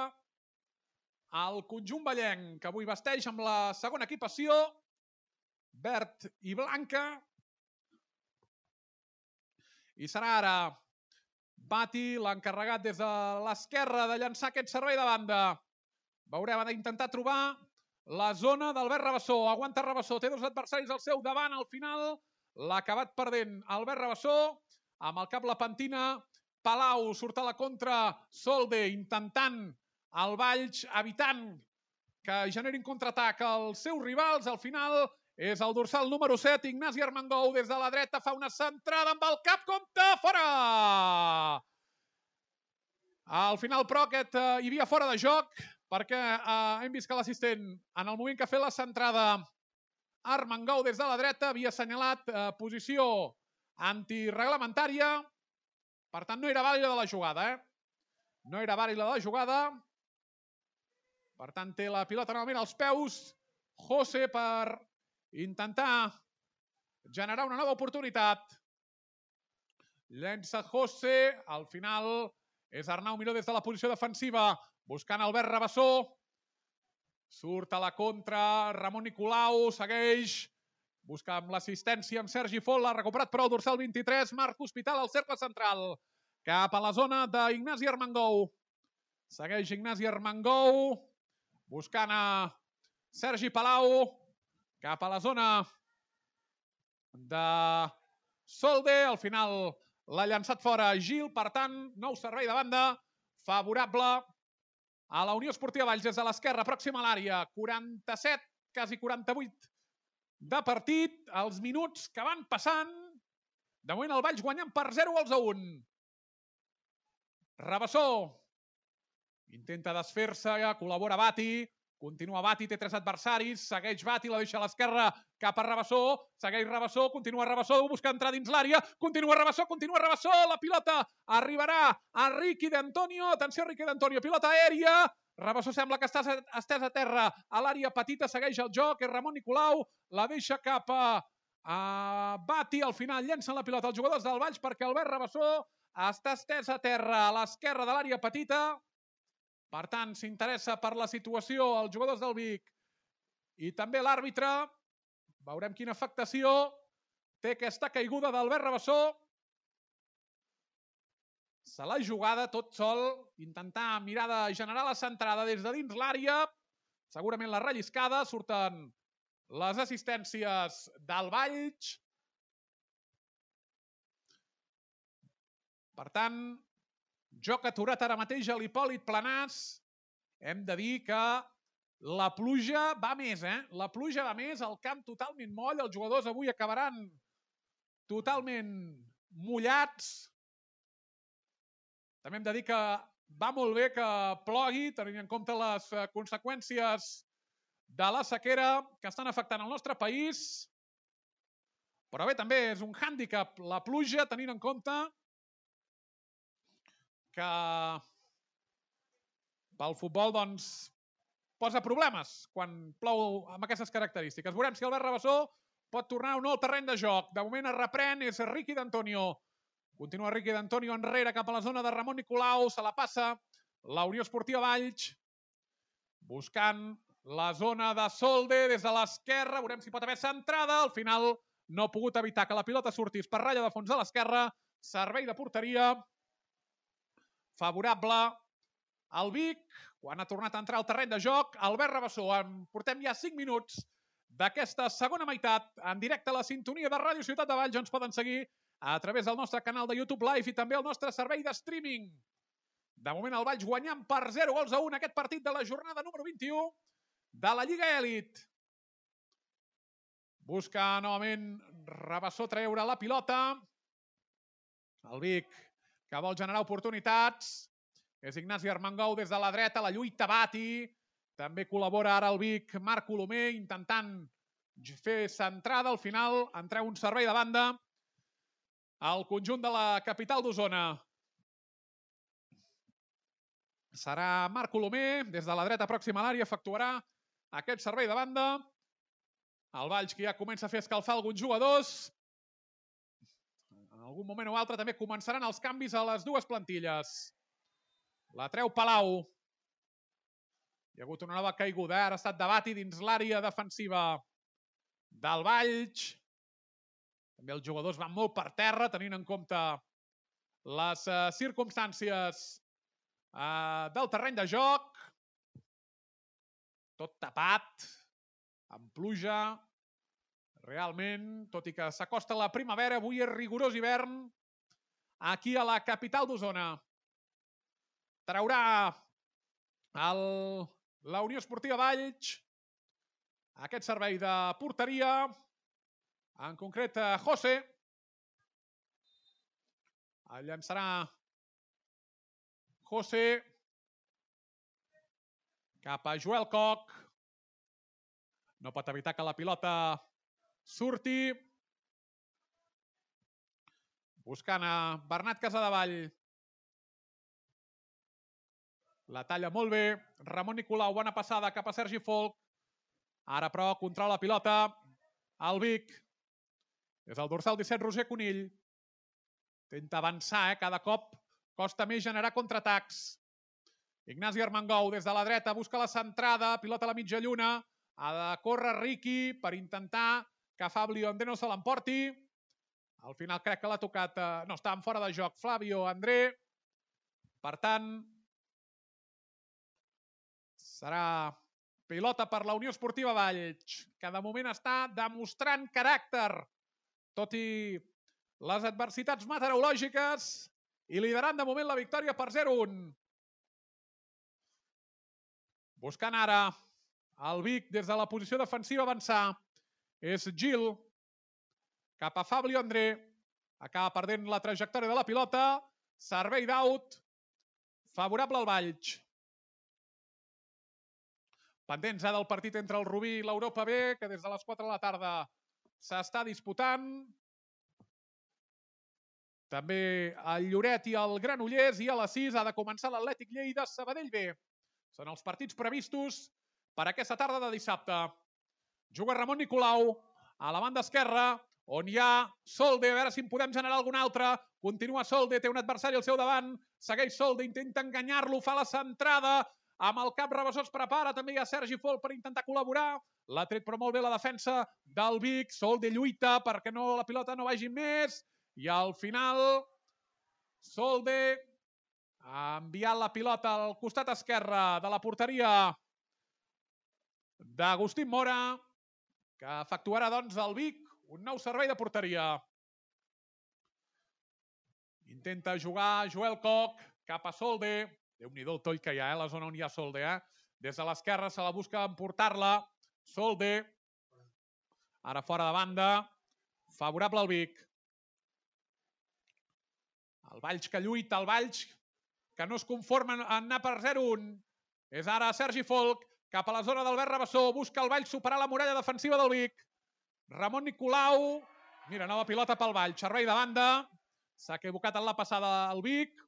al conjunt vallenc, que avui vesteix amb la segona equipació, verd i blanca. I serà ara Bati l'encarregat des de l'esquerra de llançar aquest servei de banda. Veurem, ha d'intentar trobar la zona d'Albert Rabassó. Aguanta Rabassó, té dos adversaris al seu davant. Al final l'ha acabat perdent Albert Rabassó. Amb el cap la pentina Palau, surt a la contra Solde, intentant el Valls, evitant que generin contraatac als seus rivals. Al final és el dorsal número set, Ignasi Armengou, des de la dreta, fa una centrada amb el cap, compte, fora! Al final, però, aquest eh, hi havia fora de joc, perquè eh, hem vist que l'assistent, en el moment que ha fet la centrada, Armengou des de la dreta, havia assenyalat eh, posició antireglamentària, per tant, no era vàlida de la jugada, eh? No era vàlida de la jugada, per tant, té la pilota novament als peus, José per intentar generar una nova oportunitat. Llença José, al final és Arnau Miró des de la posició defensiva, buscant Albert Rabassó. Surt a la contra, Ramon Nicolau segueix Busca amb l'assistència amb Sergi Fol, l'ha recuperat però el dorsal vint-i-tres, Marc Hospital al cercle central. Cap a la zona d'Ignasi Armengou. Segueix Ignasi Armengou, buscant a Sergi Palau, cap a la zona de Solde. Al final l'ha llançat fora Gil, per tant, nou servei de banda, favorable a la Unió Esportiva Valls des de l'esquerra, pròxima a l'àrea. quaranta-set, quasi quaranta-vuit de partit, els minuts que van passant. De moment el Valls guanyant per zero gols a un. Rabassó intenta desfer-se, col·labora Bati, continua Bati, té tres adversaris, segueix Bati, la deixa a l'esquerra cap a Rabassó, segueix Rabassó, continua Rabassó, busca entrar dins l'àrea, continua Rabassó, continua Rabassó, la pilota arribarà a Riqui d'Antonio, atenció Riqui d'Antonio, pilota aèria, Rabassó sembla que està estès a terra a l'àrea petita, segueix el joc, és Ramon Nicolau, la deixa cap a, a Bati, al final llencen la pilota els jugadors del Valls perquè Albert Rabassó està estès a terra a l'esquerra de l'àrea petita. Per tant, s'interessa per la situació els jugadors del Vic i també l'àrbitre. Veurem quina afectació té aquesta caiguda d'Albert Rabassó. Se l'ha jugada tot sol, intentar mirar de generar la centrada des de dins l'àrea. Segurament la relliscada, surten les assistències del Valls. Per tant, joc aturat ara mateix a l'Hipòlit Planàs. Hem de dir que la pluja va més, eh? La pluja va més, el camp totalment moll, els jugadors avui acabaran totalment mullats. També hem de dir que va molt bé que plogui, tenint en compte les conseqüències de la sequera que estan afectant el nostre país. Però bé, també és un hàndicap la pluja, tenint en compte que pel futbol doncs, posa problemes quan plou amb aquestes característiques. Veurem si Albert Rabassó pot tornar o no al terreny de joc. De moment es reprèn, és Riqui d'Antonio. Continua Riqui d'Antonio enrere cap a la zona de Ramon Nicolau. Se la passa la Unió Esportiva Valls. Buscant la zona de Solde des de l'esquerra. Veurem si pot haver centrada. Al final no ha pogut evitar que la pilota sortís per ratlla de fons de l'esquerra. Servei de porteria favorable al Vic, quan ha tornat a entrar al terreny de joc, Albert Rabassó. Portem ja cinc minuts d'aquesta segona meitat en directe a la sintonia de Ràdio Ciutat de Valls. Ens poden seguir a través del nostre canal de YouTube Live i també el nostre servei de streaming. De moment el Valls guanyant per zero gols a un aquest partit de la jornada número vint-i-u de la Lliga Elit. Busca novament Rabassó treure la pilota. El Vic que vol generar oportunitats. És Ignasi Armengou des de la dreta, la lluita Bati. També col·labora ara el Vic Marc Colomer, intentant fer centrada. Al final en treu un servei de banda al conjunt de la capital d'Osona. Serà Marc Colomer, des de la dreta pròxima a l'àrea, efectuarà aquest servei de banda. El Valls que ja comença a fer escalfar alguns jugadors. En algun moment o altre també començaran els canvis a les dues plantilles. La treu Palau. Hi ha hagut una nova caiguda, ara ha estat de Bati dins l'àrea defensiva del Valls. També els jugadors van molt per terra, tenint en compte les uh, circumstàncies uh, del terreny de joc. Tot tapat, amb pluja. Realment, tot i que s'acosta la primavera, avui és rigorós hivern aquí a la capital d'Osona. Traurà el, la Unió Esportiva Valls aquest servei de porteria, en concret José. El llançarà José cap a Joel Coc. No pot evitar que la pilota surti. Buscant a Bernat Casadevall. La talla molt bé. Ramon Nicolau, bona passada cap a Sergi Folk. Ara, però, controla la pilota el Vic. És el dorsal disset, Roger Conill. Intenta avançar, eh? Cada cop costa més generar contraatacs. Ignasi Armengou, des de la dreta, busca la centrada. Pilota a la mitja lluna. Ha de córrer Riqui per intentar que Fabio André no se l'emporti. Al final crec que l'ha tocat... Eh, no, estava fora de joc Flavio André. Per tant, serà pilota per la Unió Esportiva Valls, que de moment està demostrant caràcter, tot i les adversitats meteorològiques, i liderant de moment la victòria per zero a un. Buscant ara el Vic des de la posició defensiva avançar. És Gil. Cap a Fabio André. Acaba perdent la trajectòria de la pilota. Servei d'out. Favorable al Valls. Pendents del partit entre el Rubí i l'Europa B, que des de les quatre de la tarda s'està disputant. També el Lloret i el Granollers, i a les sis ha de començar l'Atlètic Lleida Sabadell B. Són els partits previstos per aquesta tarda de dissabte. Juga Ramon Nicolau a la banda esquerra, on hi ha Solde, a veure si en podem generar algun altre. Continua Solde, té un adversari al seu davant, segueix Solde, intenta enganyar-lo, fa la centrada, amb el cap Rabassó es prepara, també hi ha Sergi Fol per intentar col·laborar. L'ha tret però molt bé la defensa del Vic. Solde lluita perquè no, la pilota no vagi més. I al final, Solde ha enviat la pilota al costat esquerre de la porteria d'Agustín Mora, que efectuarà doncs el Vic un nou servei de porteria. Intenta jugar Joel Koch cap a Solde. Déu-n'hi-do el toll que hi ha, eh? La zona on hi ha Solde. Eh? Des de l'esquerra se la busca emportar-la. Solde. Ara fora de banda. Favorable al Vic. El Valls que lluita, el Valls que no es conforma en anar per zero a un. És ara Sergi Folk cap a la zona d'Albert Rabassó. Busca el Valls superar la muralla defensiva del Vic. Ramon Nicolau. Mira, nova pilota pel Valls. Servei de banda. S'ha equivocat en la passada al Vic.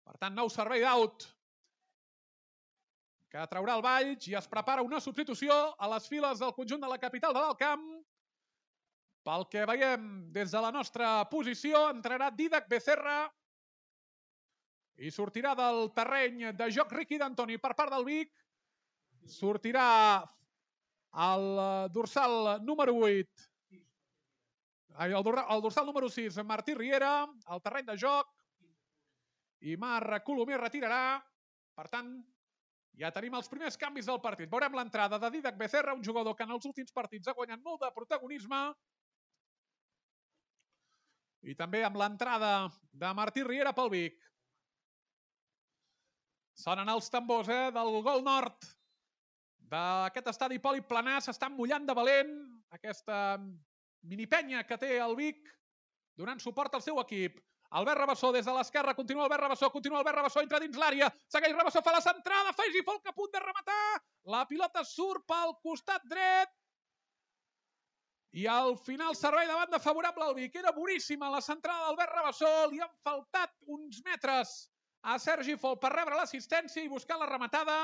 Per tant, nou servei d'out que traurà el Valls i es prepara una substitució a les files del conjunt de la capital de l'Alt Camp. Pel que veiem des de la nostra posició, entrarà Dídac Becerra i sortirà del terreny de joc Riqui d'Antoni per part del Vic. Sortirà el dorsal número vuit, el dorsal número sis, Martí Riera, al terreny de joc. I Marc Colomer retirarà. Per tant, ja tenim els primers canvis del partit. Veurem l'entrada de Dídac Becerra, un jugador que en els últims partits ha guanyat molt de protagonisme. I també amb l'entrada de Martí Riera pel Vic. Sonen els tambors eh, del gol nord d'aquest estadi poliplanà. S'estan mullant de valent aquesta minipenya que té el Vic donant suport al seu equip. Albert Rabassó des de l'esquerra, continua Albert Rabassó, continua Albert Rabassó, entra dins l'àrea, segueix Rabassó, fa la centrada, Sergi Folk a punt de rematar, la pilota surt pel costat dret, i al final servei de banda favorable al Vic. Era boníssima la centrada d'Albert Rabassó, li han faltat uns metres a Sergi Folk per rebre l'assistència i buscar la rematada,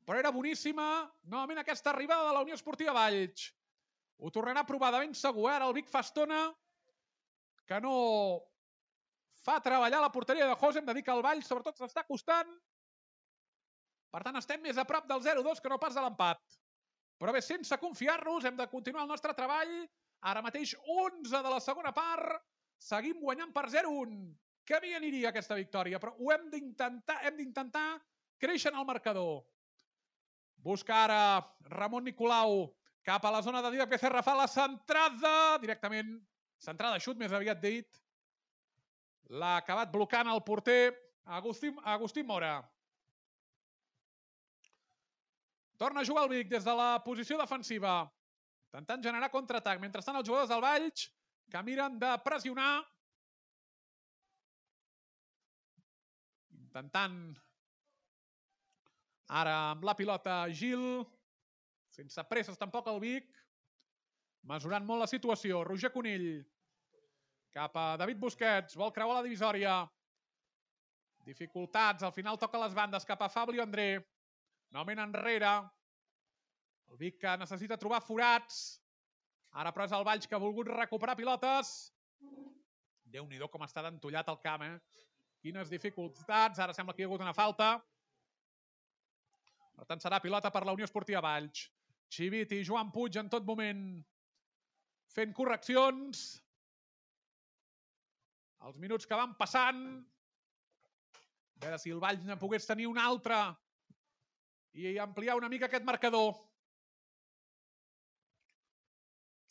però era boníssima, novament aquesta arribada de la Unió Esportiva Valls. Ho tornarà a provar de ben segur, ara el Vic fa estona que no fa treballar la porteria de José, hem de dir que el Valls sobretot s'està costant. Per tant, estem més a prop del zero a dos que no pas de l'empat. Però bé, sense confiar-nos, hem de continuar el nostre treball. Ara mateix onze de la segona part. Seguim guanyant per zero a un. Que bé aniria aquesta victòria, però ho hem d'intentar, hem d'intentar créixer en el marcador. Busca ara Ramon Nicolau cap a la zona de Dídac Becerra, fa la centrada directament. Centrada xut, més aviat dit. L'ha acabat blocant el porter Agustín, Agustín Mora. Torna a jugar el Vic des de la posició defensiva, intentant generar contraatac. Mentrestant, els jugadors del Valls que miren de pressionar. Intentant ara amb la pilota Gil. Sense presses tampoc el Vic. Mesurant molt la situació. Roger Conill cap a David Busquets. Vol creuar la divisòria. Dificultats. Al final toca les bandes cap a Fabio André. Novament enrere. El Vic que necessita trobar forats. Ara però és el Valls que ha volgut recuperar pilotes. Déu-n'hi-do com està d'entollat el camp, eh? Quines dificultats. Ara sembla que hi ha hagut una falta. Per tant, serà pilota per la Unió Esportiva Valls. Xivit i Joan Puig en tot moment fent correccions. Els minuts que van passant. A veure si el Valls ne pogués tenir un altre i ampliar una mica aquest marcador.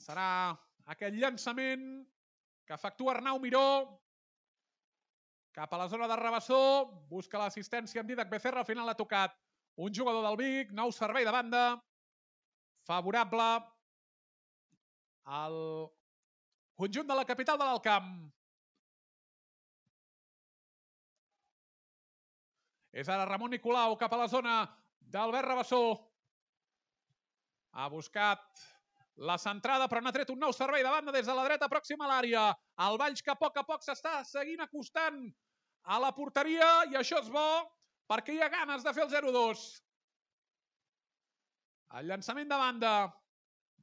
Serà aquest llançament que efectua Arnau Miró cap a la zona de Rabassó. Busca l'assistència amb Didac Becerra. Al final ha tocat un jugador del Vic. Nou servei de banda. Favorable al conjunt de la capital de l'Alt Camp. És ara Ramon Nicolau cap a la zona d'Albert Rabassó. Ha buscat la centrada, però n'ha tret un nou servei de banda des de la dreta pròxima a l'àrea. El Valls que a poc a poc s'està seguint acostant a la porteria i això és bo perquè hi ha ganes de fer el zero dos. El llançament de banda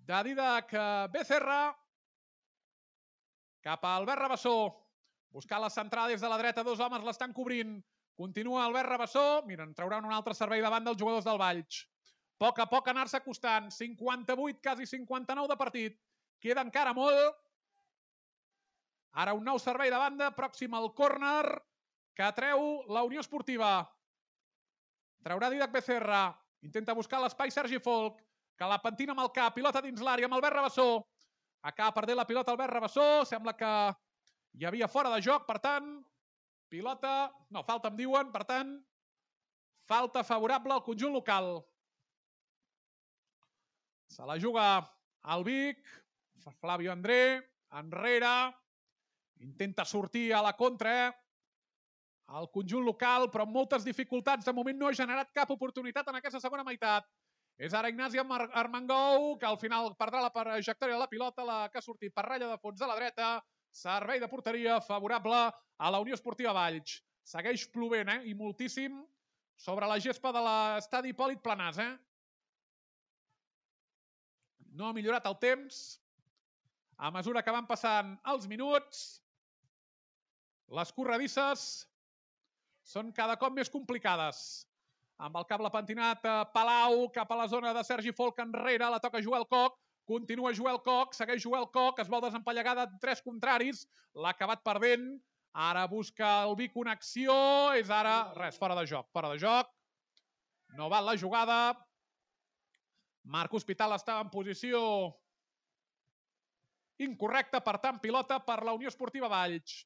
de Didac Becerra cap a Albert Rabassó. Buscant la centrada des de la dreta, dos homes l'estan cobrint. Continua Albert Rabassó. Mira, en trauran un altre servei de banda els jugadors del Valls. A poc a poc anar-se acostant. cinquanta-vuit, quasi cinquanta-nou de partit. Queda encara molt. Ara un nou servei de banda, pròxim al córner, que treu la Unió Esportiva. Traurà Didac Becerra. Intenta buscar l'espai Sergi Folk, que la pentina amb el cap. Pilota dins l'àrea amb Albert Rabassó. Acaba perdent la pilota Albert Rabassó. Sembla que hi havia fora de joc, per tant, pilota, no, falta em diuen, per tant, falta favorable al conjunt local. Se la juga el Vic, Flavio André, enrere, intenta sortir a la contra, eh? El conjunt local, però amb moltes dificultats. De moment no ha generat cap oportunitat en aquesta segona meitat. És ara Ignasi Armengou, que al final perdrà la trajectòria de la pilota, la que ha sortit per ratlla de fons de la dreta. Servei de porteria favorable a la Unió Esportiva Valls. Segueix plovent, eh? I moltíssim sobre la gespa de l'estadi Hipòlit Planàs, eh? No ha millorat el temps a mesura que van passant els minuts. Les corredisses són cada cop més complicades. Amb el cable pentinat Palau cap a la zona de Sergi Folk enrere. La toca Joel Coc. Continua Joel Coc, segueix Joel Coc, es vol desempallegar de tres contraris, l'ha acabat perdent, ara busca el Vic una acció, és ara, res, fora de joc, fora de joc, no val la jugada, Marc Hospital estava en posició incorrecta, per tant, pilota per la Unió Esportiva Valls.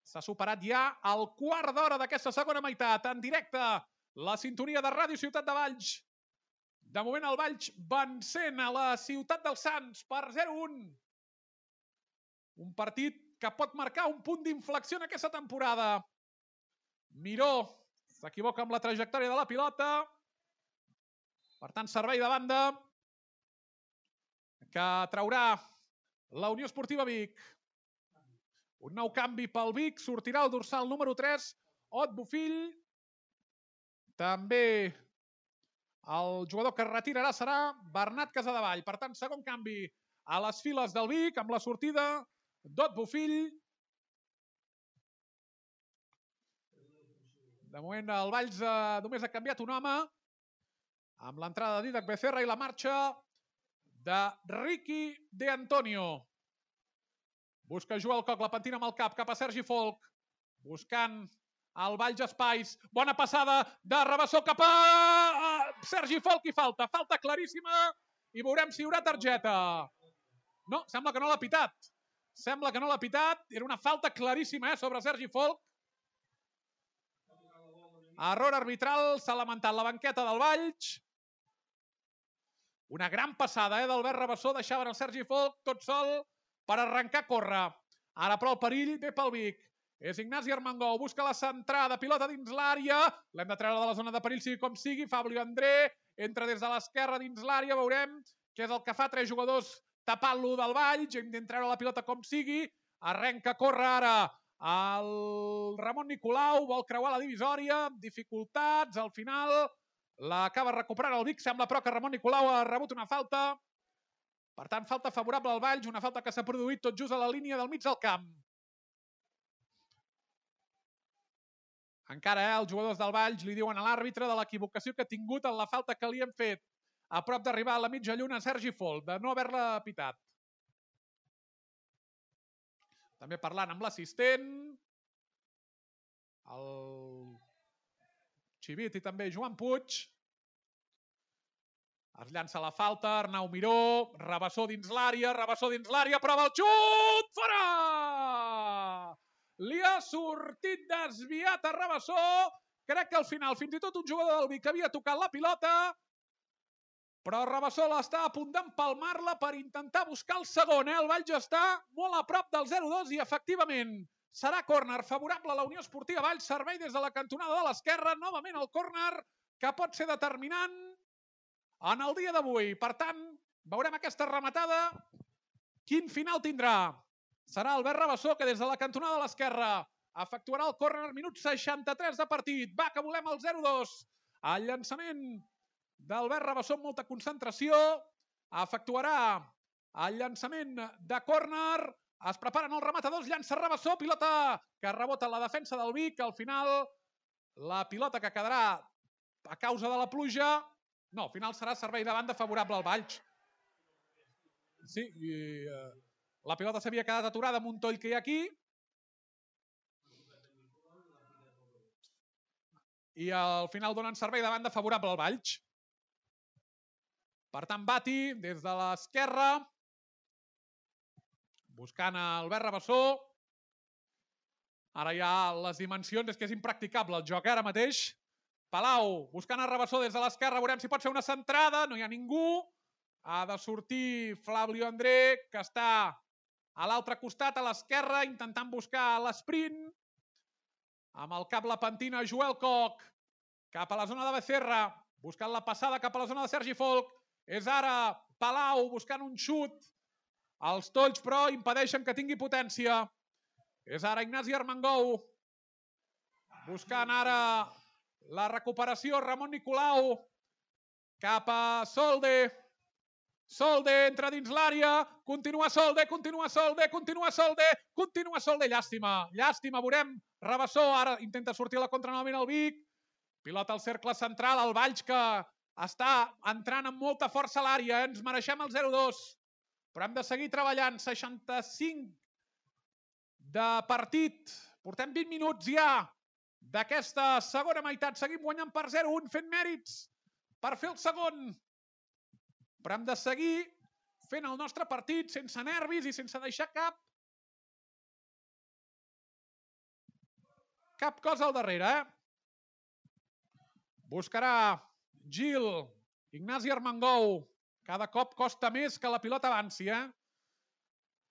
S'ha superat ja el quart d'hora d'aquesta segona meitat, en directe, la sintonia de Ràdio Ciutat de Valls. De moment el Valls vencent a la Ciutat dels Sants per zero un. Un partit que pot marcar un punt d'inflexió en aquesta temporada. Miró s'equivoca amb la trajectòria de la pilota. Per tant, servei de banda que traurà la Unió Esportiva Vic. Un nou canvi pel Vic. Sortirà el dorsal número tres, Ot Bofill. També el jugador que es retirarà serà Bernat Casadevall. Per tant, segon canvi a les files del Vic amb la sortida d'Ot Bofill. De moment el Valls eh, només ha canviat un home amb l'entrada de Didac Becerra i la marxa de Ricky De Antonio. Busca Joel Coc, la pentina amb el cap cap a Sergi Folk. Buscant el Valls espais, bona passada de Rabassó cap a Sergi Folk i falta, falta claríssima i veurem si hi haurà targeta. No, sembla que no l'ha pitat. Sembla que no l'ha pitat, era una falta claríssima eh, sobre Sergi Folk. Error arbitral, s'ha lamentat la banqueta del Valls. Una gran passada eh, d'Albert Rabassó, deixaven el Sergi Folk tot sol per arrencar a córrer. Ara però el perill ve pel Vic. És Ignasi Armengou, busca la centrada, pilota dins l'àrea, l'hem de treure de la zona de perill, sigui com sigui, Fabio André, entra des de l'esquerra dins l'àrea, veurem què és el que fa, tres jugadors tapant-lo del Valls, hem de treure la pilota com sigui, arrenca a córrer ara el Ramon Nicolau, vol creuar la divisòria, dificultats, al final l'acaba recuperant el Vic, sembla però que Ramon Nicolau ha rebut una falta, per tant falta favorable al Valls, una falta que s'ha produït tot just a la línia del mig del camp. Encara eh, els jugadors del Valls li diuen a l'àrbitre de l'equivocació que ha tingut en la falta que li hem fet a prop d'arribar a la mitja lluna Sergi Folk, de no haver-la pitat. També parlant amb l'assistent, el Xivit i també Joan Puig. Es llança la falta, Arnau Miró, Rabassó dins l'àrea, Rabassó dins l'àrea, prova el xut, fora! Li ha sortit desviat a Rabassó, crec que al final fins i tot un jugador del Vic havia tocat la pilota, però Rabassó està a punt d'empalmar-la per intentar buscar el segon, eh? El Valls està molt a prop del zero dos i efectivament serà córner favorable a la Unió Esportiva Valls, servei des de la cantonada de l'esquerra, novament el córner que pot ser determinant en el dia d'avui. Per tant, veurem aquesta rematada. Quin final tindrà? Serà Albert Rabassó, que des de la cantonada de l'esquerra efectuarà el córner, minut seixanta-tres de partit. Va, que volem el zero dos. El llançament d'Albert Rabassó amb molta concentració. Efectuarà el llançament de córner. Es preparen els rematadors, llança Rabassó, pilota que rebota la defensa del Vic. Al final, la pilota que quedarà a causa de la pluja... No, al final serà servei de banda favorable al Valls. Sí, i uh, la pilota s'havia quedat aturada amb un toll que hi ha aquí. I al final donen servei de banda favorable al Valls. Per tant, Bati des de l'esquerra, buscant Albert Rabassó. Ara ja les dimensions, és que és impracticable el joc, eh, ara mateix. Palau, buscant a Rabassó des de l'esquerra, veurem si pot ser una centrada, no hi ha ningú. Ha de sortir Flavio André, que està a l'altre costat, a l'esquerra, intentant buscar l'esprint. Amb el cap la pentina Joel Koch, cap a la zona de Becerra, buscant la passada cap a la zona de Sergi Folk. És ara Palau buscant un xut. Els tolls, però, impedeixen que tingui potència. És ara Ignasi Armengou, buscant ara la recuperació, Ramon Nicolau, cap a Solde. Solde entra dins l'àrea, continua Solde, continua Solde, continua Solde, continua Solde, llàstima, llàstima, veurem. Rabassó ara intenta sortir a la contra novament al Vic. Pilota al cercle central, el Valls que està entrant amb molta força a l'àrea, ens mereixem el zero dos, però hem de seguir treballant. seixanta-cinc de partit, portem vint minuts ja d'aquesta segona meitat, seguim guanyant per zero un, fent mèrits per fer el segon, però hem de seguir fent el nostre partit sense nervis i sense deixar cap cap cosa al darrere, eh? Buscarà Gil, Ignasi Armengou, cada cop costa més que la pilota avanci, eh?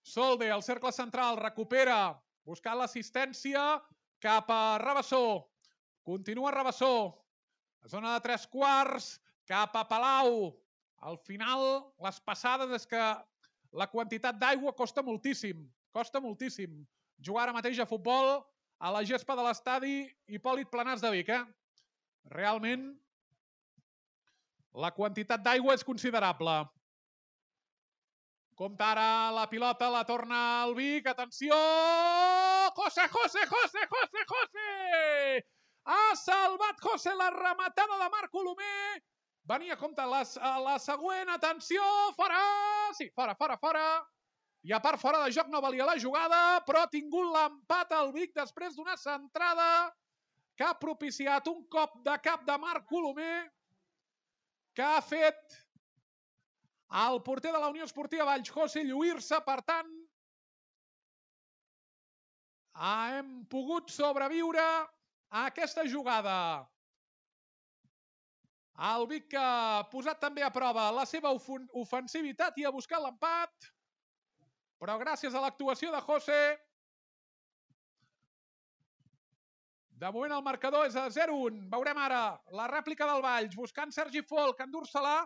Solde, al cercle central, recupera, buscant l'assistència cap a Rabassó. Continua Rabassó. A zona de tres quarts, cap a Palau. Al final, les passades és que la quantitat d'aigua costa moltíssim. Costa moltíssim. Jugar ara mateix a futbol a la gespa de l'estadi Hipòlit Planàs de Vic, eh? Realment, la quantitat d'aigua és considerable. Compta ara la pilota, la torna al Vic, atenció! José, José, José, José, José! Ha salvat José la rematada de Marc Colomer. Venia, compta, la, la següent, atenció, fora! Sí, fora, fora, fora. I a part, fora de joc no valia la jugada, però ha tingut l'empat al Vic després d'una centrada que ha propiciat un cop de cap de Marc Colomer que ha fet el porter de la Unió Esportiva Valls, José, lluir-se. Per tant, hem pogut sobreviure a aquesta jugada. El Vic que ha posat també a prova la seva ofensivitat i ha buscat l'empat, però gràcies a l'actuació de José, de moment el marcador és a zero un. Veurem ara la rèplica del Valls, buscant Sergi Folk, endur-se-la.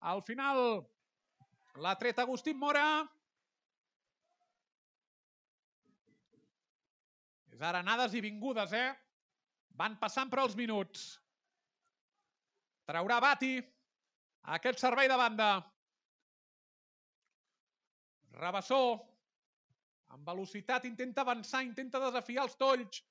Al final l'ha tret Agustín Mora. És ara anades i vingudes, eh? Van passant per els minuts. Traurà Bati aquest servei de banda. Rabassó, amb velocitat, intenta avançar, intenta desafiar els tolls.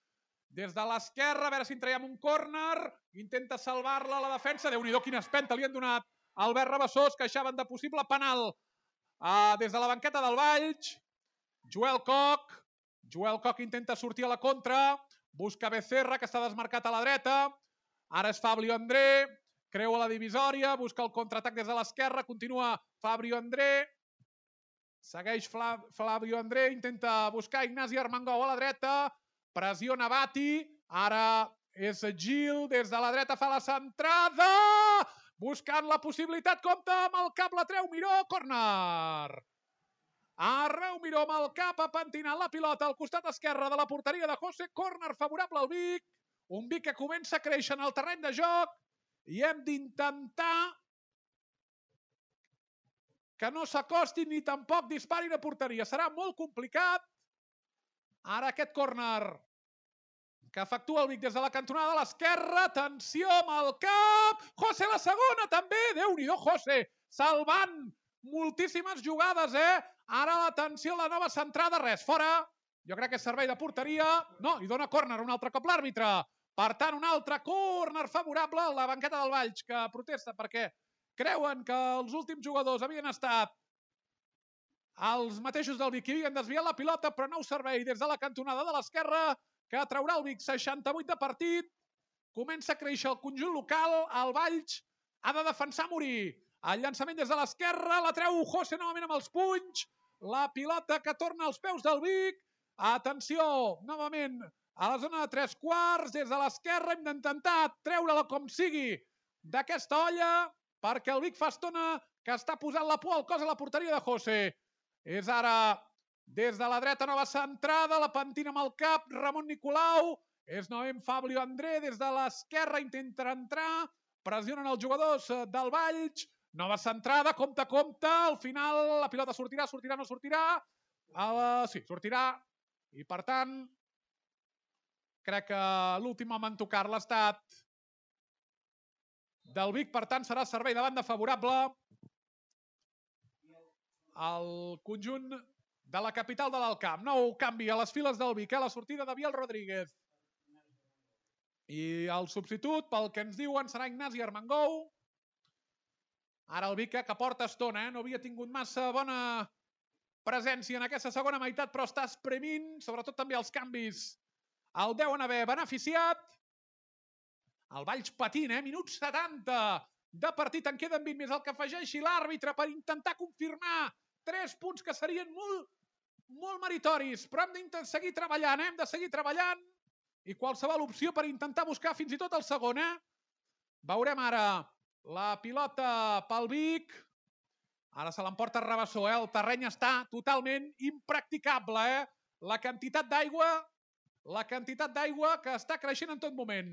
Des de l'esquerra, a veure si en traiem un córner. Intenta salvar-la a la defensa. Déu-n'hi-do, quina espenta li han donat Albert Rabassó, es queixaven de possible penal uh, des de la banqueta del Valls. Joel Koch. Joel Koch intenta sortir a la contra. Busca Becerra, que està desmarcat a la dreta. Ara és Fabio André. Creua la divisòria. Busca el contraatac des de l'esquerra. Continua Fabio André. Segueix Fabio André. Intenta buscar Ignasi Armengou a la dreta. Pressiona Bati. Ara és Gil. Des de la dreta fa la centrada. Buscant la possibilitat. Compte amb el cap. La treu Miró. Córner. Arreu Miró amb el cap, ha pentinat la pilota al costat esquerre de la porteria de José. Córner favorable al Vic. Un Vic que comença a créixer en el terreny de joc. I hem d'intentar que no s'acosti ni tampoc disparin a porteria. Serà molt complicat. Ara aquest córner que efectua el Vic des de la cantonada de l'esquerra. Atenció amb el cap. José la segona també. Déu-n'hi-do, José. Salvant moltíssimes jugades, eh? Ara l'atenció a la nova centrada. Res, fora. Jo crec que és servei de porteria. No, i dona córner un altre cop l'àrbitre. Per tant, un altre córner favorable a la banqueta del Valls, que protesta perquè creuen que els últims jugadors havien estat els mateixos del Vic, que havien desviat la pilota, però nou servei des de la cantonada de l'esquerra, que traurà el Vic. Seixanta-vuit de partit. Comença a créixer el conjunt local. El Valls ha de defensar a morir. El llançament des de l'esquerra. La treu José novament amb els punys. La pilota que torna als peus del Vic. Atenció, novament a la zona de tres quarts. Des de l'esquerra hem d'intentar treure-la com sigui d'aquesta olla, perquè el Vic fa estona que està posant la por al cos a la porteria de José. És ara des de la dreta, nova centrada, la pentina amb el cap, Ramon Nicolau. És novament Fabio André des de l'esquerra, intenta entrar, pressionen els jugadors del Valls. Nova centrada, compte, compte, al final la pilota sortirà, sortirà, no sortirà. Uh, sí, sortirà. I per tant, crec que l'últim home en tocar-la ha estat del Vic, per tant serà servei de banda favorable al conjunt de la capital de l'Alt Camp. Nou canvi a les files del Vic, eh? La sortida de Biel Rodríguez. I el substitut, pel que ens diuen, serà Ignasi Armengou. Ara el Vic, que porta estona, eh? No havia tingut massa bona presència en aquesta segona meitat, però està espremint, sobretot també els canvis. El deuen haver beneficiat. El Valls patint, eh? Minut setanta de partit, en queden vint més el que afegeixi l'àrbitre per intentar confirmar tres punts que serien molt, molt meritoris, però hem de seguir treballant, eh? Hem de seguir treballant i qualsevol opció per intentar buscar fins i tot el segon, eh? Veurem ara la pilota pel Vic. Ara se l'emporta Rabassó, eh? El terreny està totalment impracticable, eh? La quantitat d'aigua, la quantitat d'aigua que està creixent en tot moment.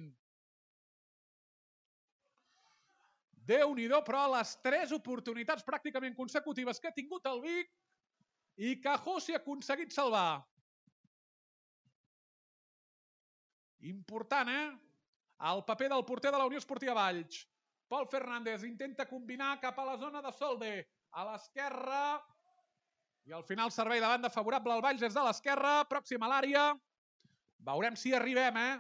Déu-n'hi-do, però les tres oportunitats pràcticament consecutives que ha tingut el Vic i que José ha aconseguit salvar. Important, eh? El paper del porter de la Unió Esportiva Valls. Pol Fernández intenta combinar cap a la zona de Solde. A l'esquerra. I al final servei de banda favorable al Valls des de l'esquerra. Pròxim a l'àrea. Veurem si arribem, eh?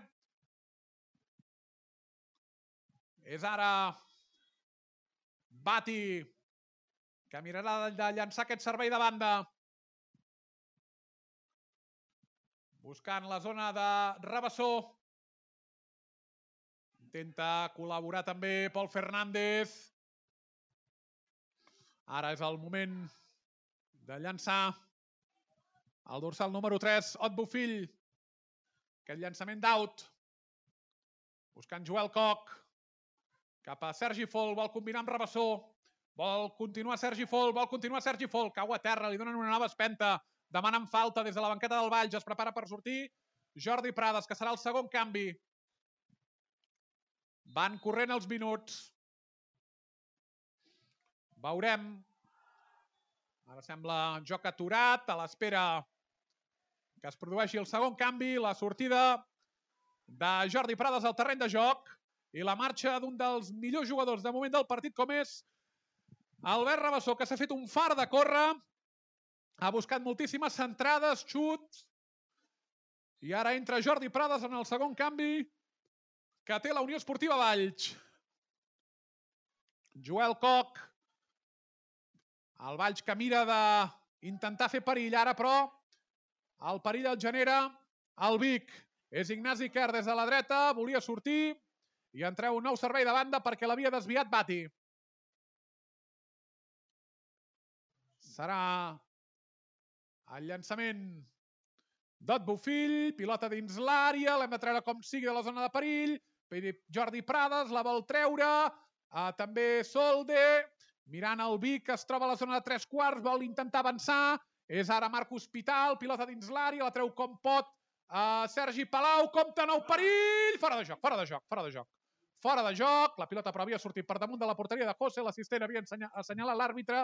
És ara Bati, que mirarà de llançar aquest servei de banda. Buscant la zona de Rabassó. Intenta col·laborar també Pol Fernández. Ara és el moment de llançar el dorsal número tres, Ot Bofill. Aquest llançament d'out. Buscant Joel Koch. Cap a Sergi Fol, vol combinar amb Rabassó. Vol continuar Sergi Fol, vol continuar Sergi Fol. Cau a terra, li donen una nova espenta. Demanen falta des de la banqueta del Valls. Es prepara per sortir Jordi Prades, que serà el segon canvi. Van corrent els minuts. Veurem. Ara sembla joc aturat, a l'espera que es produeixi el segon canvi, la sortida de Jordi Prades al terreny de joc i la marxa d'un dels millors jugadors de moment del partit, com és Albert Rabassó, que s'ha fet un far de córrer, ha buscat moltíssimes centrades, xuts, i ara entra Jordi Prades en el segon canvi que té la Unió Esportiva Valls. Joel Koch. El Valls que mira d'intentar fer perill ara, però el perill el genera el Vic. És Ignasi Quer des de la dreta, volia sortir i entreu un nou servei de banda perquè l'havia desviat Bati. Serà el llançament d'Ot Bofill, pilota dins l'àrea, l'hem de treure com sigui de la zona de perill. Jordi Prades la vol treure, uh, també Solde, mirant el Vic que es troba a la zona de tres quarts, vol intentar avançar, és ara Marc Hospital, pilota dins l'àrea, la treu com pot uh, Sergi Palau, compte nou perill, fora de joc, fora de joc, fora de joc. Fora de joc, la pilota però havia sortit per damunt de la porteria de José, l'assistent havia assenyalat l'àrbitre,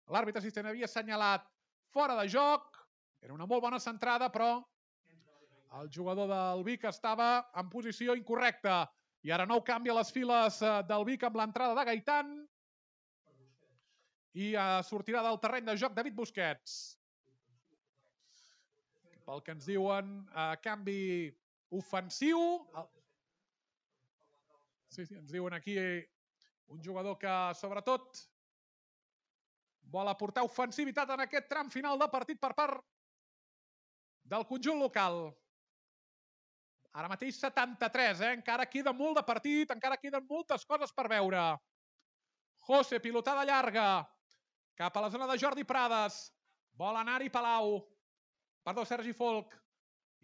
l'àrbitre assistent havia assenyalat fora de joc, era una molt bona centrada, però el jugador del Vic estava en posició incorrecta. I ara nou canvia les files del Vic amb l'entrada de Gaitán i sortirà del terreny de joc David Busquets. Pel que ens diuen, canvi ofensiu. Sí, sí, ens diuen aquí un jugador que, sobretot, vol aportar ofensivitat en aquest tram final de partit per part del conjunt local. Ara mateix setanta-tres, eh? Encara queda molt de partit, encara queden moltes coses per veure. José, pilotada llarga, cap a la zona de Jordi Prades. Vol anar-hi Palau. Perdó, Sergi Folk.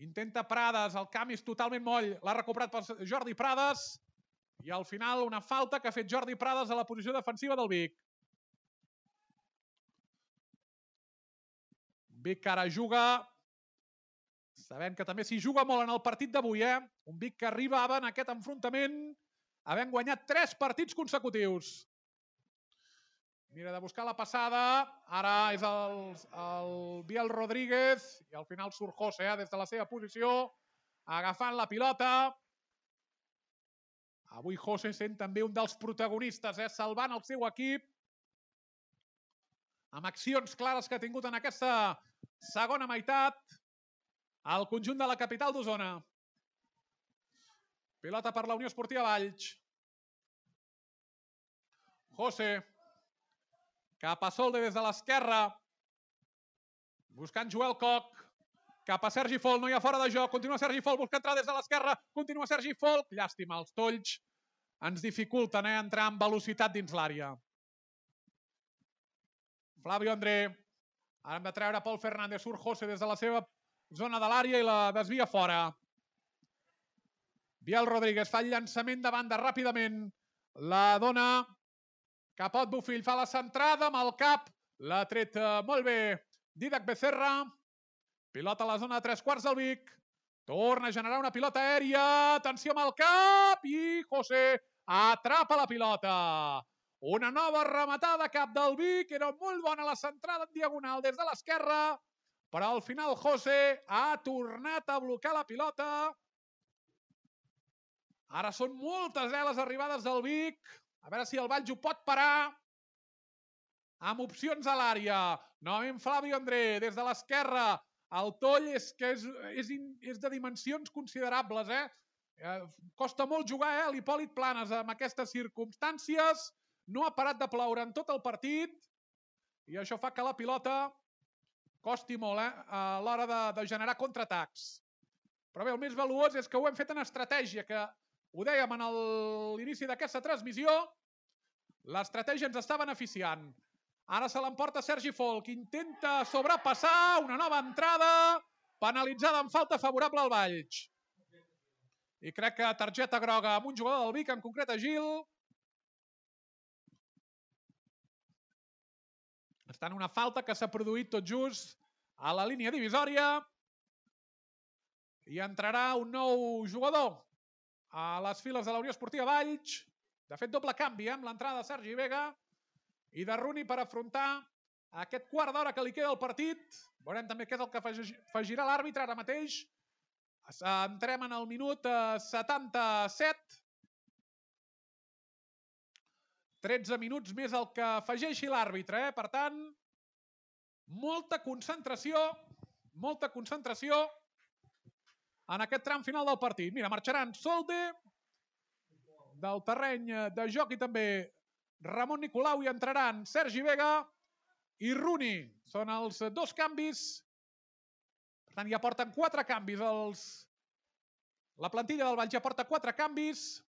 Intenta Prades, el canvi és totalment moll. L'ha recuperat per Jordi Prades. I al final una falta que ha fet Jordi Prades a la posició defensiva del Vic. Vic que ara juga, sabent que també s'hi juga molt en el partit d'avui, eh? Un Vic que arribava en aquest enfrontament havent guanyat tres partits consecutius. Mira de buscar la passada, ara és el, el Biel Rodríguez i al final surt José eh? Des de la seva posició, agafant la pilota. Avui José sent també un dels protagonistes, eh? Salvant el seu equip amb accions clares que ha tingut en aquesta segona meitat al conjunt de la capital d'Osona. Pilota per la Unió Esportiva Valls. José. Cap a Solde des de l'esquerra. Buscant Joel Koch. Cap a Sergi Folk. No hi ha fora de joc. Continua Sergi Folk. Busca entrar des de l'esquerra. Continua Sergi Folk. Llàstima, els tolls ens dificulten eh, entrar amb velocitat dins l'àrea. Flavio André. Ara hem de treure Pol Fernández. Surt José des de la seva zona de l'àrea i la desvia fora. Biel Rodríguez fa el llançament de banda ràpidament. La dona cap a Ot Bofill. Fa la centrada amb el cap. L'ha tret molt bé Didac Becerra. Pilota a la zona de tres quarts del Vic. Torna a generar una pilota aèria. Atenció amb el cap. I José atrapa la pilota. Una nova rematada cap del Vic. Era molt bona la centrada en diagonal des de l'esquerra. Però al final José ha tornat a blocar la pilota. Ara són moltes eh, les arribades del Vic. A veure si el Valls ho pot parar. Amb opcions a l'àrea. Novament Flavio André des de l'esquerra. El toll és que és, és, és de dimensions considerables. Eh? Eh, costa molt jugar eh, a l'Hipòlit Planes amb aquestes circumstàncies. No ha parat de ploure en tot el partit. I això fa que la pilota costi molt eh, a l'hora de, de generar contraatacs. Però bé, el més valuós és que ho hem fet en estratègia, que ho dèiem en l'inici d'aquesta transmissió, l'estratègia ens està beneficiant. Ara se l'emporta Sergi Folk, intenta sobrepassar una nova entrada, penalitzada amb falta favorable al Valls. I crec que targeta groga amb un jugador del Vic, en concret a Gil. Està en una falta que s'ha produït tot just a la línia divisòria. I entrarà un nou jugador a les files de la Unió Esportiva Valls. De fet, doble canvi eh, amb l'entrada de Sergi Vega i de Runi per afrontar aquest quart d'hora que li queda al partit. Veurem també què és el que afegirà l'àrbitre ara mateix. Entrem en el minut setanta-set. tretze minuts més el que afegeixi l'àrbitre. Eh? Per tant, molta concentració, molta concentració en aquest tram final del partit. Mira, marxaran Solde del terreny de joc i també Ramon Nicolau i entraran Sergi Vega i Rooney. Són els dos canvis. Per tant, ja porten quatre canvis. Els... La plantilla del Valls ja porta quatre canvis.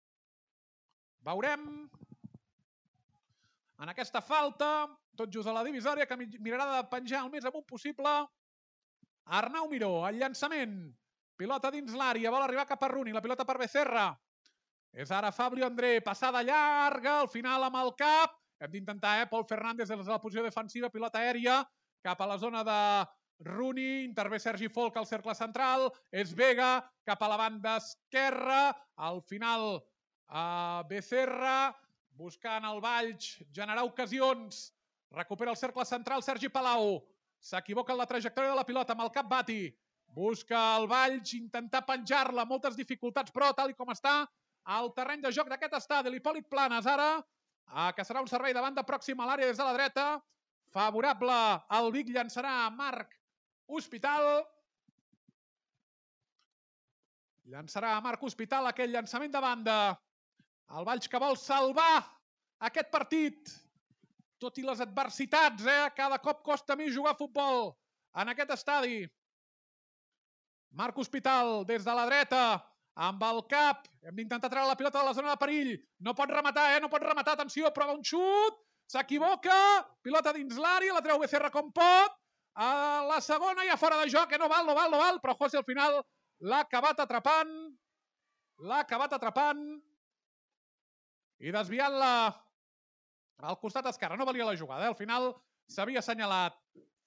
Veurem. En aquesta falta, tot just a la divisòria, que mirarà de penjar el més amunt possible. Arnau Miró, el llançament. Pilota dins l'àrea, vol arribar cap a Rooney. La pilota per Becerra. És ara Fabio André, passada llarga, al final amb el cap. Hem d'intentar, eh? Pol Fernández des de la posició defensiva, pilota aèria, cap a la zona de Rooney, intervé Sergi Folk al cercle central, és Vega, cap a la banda esquerra, al final eh, Becerra, buscant el Valls, generar ocasions, recupera el cercle central Sergi Palau, s'equivoca en la trajectòria de la pilota amb el cap Bati, busca el Valls, intentar penjar-la, moltes dificultats, però tal com està, al terreny de joc d'aquest estadi, l'Hipòlit Planes, ara, eh, que serà un servei de banda pròxim a l'àrea des de la dreta, favorable al Vic, llançarà Marc Hospital. Llançarà Marc Hospital aquell llançament de banda. El Valls que vol salvar aquest partit, tot i les adversitats, eh? Cada cop costa més jugar a futbol en aquest estadi. Marc Hospital des de la dreta, amb el cap, hem d'intentar treure la pilota de la zona de perill, no pot rematar, eh? No pot rematar, atenció, prova un xut, s'equivoca, pilota dins l'àrea, la treu Becerra com pot, a la segona ja fora de joc, que no val, no val, no val, però José al final l'ha acabat atrapant, l'ha acabat atrapant i desviant-la al costat esquerre, no valia la jugada, eh? Al final s'havia assenyalat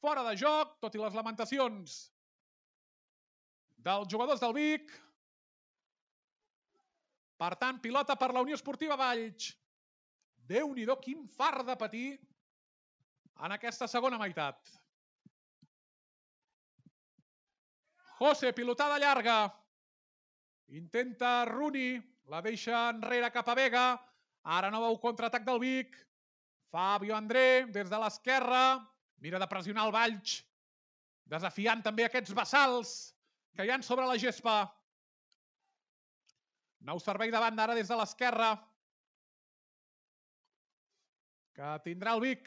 fora de joc, tot i les lamentacions dels jugadors del Vic. Per tant, pilota per la Unió Esportiva Valls. Déu-n'hi-do, quin fart de patir en aquesta segona meitat. José, pilotada llarga. Intenta Rooney, la deixa enrere cap a Vega. Ara no veu contraatac del Vic. Fabio André, des de l'esquerra. Mira de pressionar el Valls, desafiant també aquests bassals que hi ha sobre la gespa. Nou servei de banda ara des de l'esquerra, que tindrà el Vic.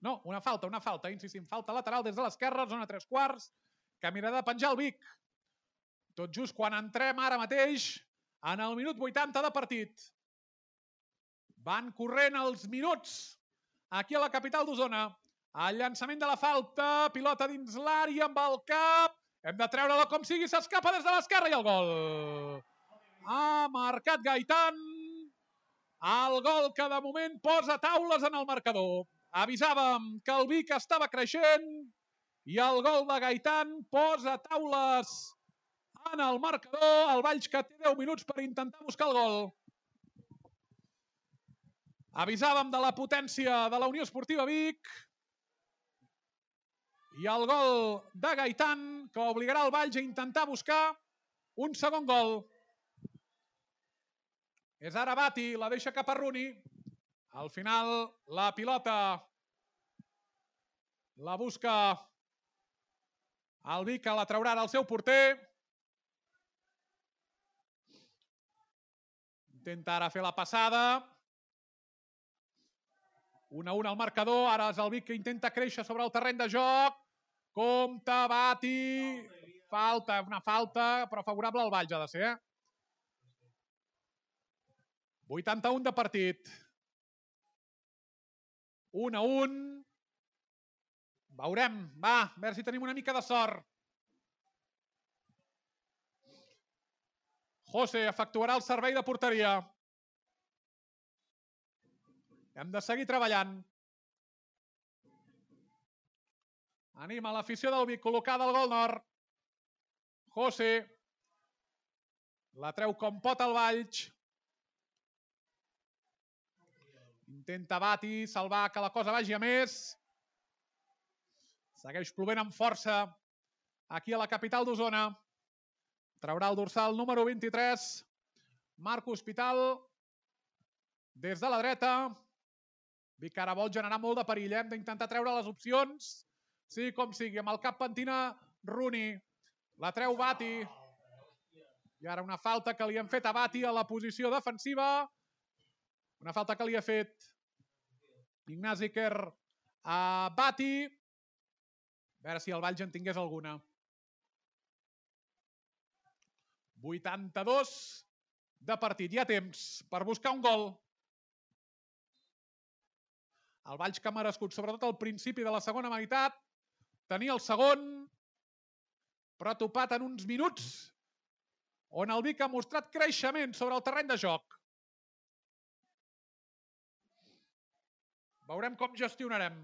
No, una falta, una falta, insistim, falta lateral des de l'esquerra, zona tres quarts, que mirarà de penjar el Vic. Tot just quan entrem ara mateix en el minut vuitanta de partit. Van corrent els minuts aquí a la capital d'Osona. El llançament de la falta, pilota dins l'àrea amb el cap. Hem de treure-la com sigui, s'escapa des de l'esquerra i el gol. Ha marcat Gaitan. El gol que de moment posa taules en el marcador. Avisàvem que el Vic estava creixent i el gol de Gaitan posa taules en el marcador. El Valls que té deu minuts per intentar buscar el gol. Avisàvem de la potència de la Unió Esportiva Vic. I el gol de Gaitan, que obligarà el Valls a intentar buscar un segon gol. És ara Bati, la deixa cap a Rooney. Al final, la pilota la busca el Vic, que la traurà ara el seu porter. Intenta ara fer la passada. un a un al marcador, ara és el Vic que intenta créixer sobre el terreny de joc. Compte, Bati, falta, una falta, però favorable al Valls ha de ser. vuitanta-un de partit. un a un. Veurem, va, a veure si tenim una mica de sort. José efectuarà el servei de porteria. Hem de seguir treballant. Anima l'afició del Vic, col·locada al gol nord. José. La treu com pot el Valls. Intenta Bati salvar que la cosa vagi a més. Segueix plovent amb força aquí a la capital d'Osona. Traurà el dorsal número vint-i-tres. Marc Hospital. Des de la dreta. Vic ara vol generar molt de perill. Hem d'intentar treure les opcions. Sí, com sigui. Amb el cap pentina Rooney. La treu Bati. I ara una falta que li han fet a Bati a la posició defensiva. Una falta que li ha fet Ignasi Quer a Bati. A veure si el Valls en tingués alguna. vuitanta-dos de partit. Hi ha temps per buscar un gol. El Valls que ha merescut, sobretot al principi de la segona meitat, tenia el segon, però ha topat en uns minuts on el Vic ha mostrat creixement sobre el terreny de joc. Veurem com gestionarem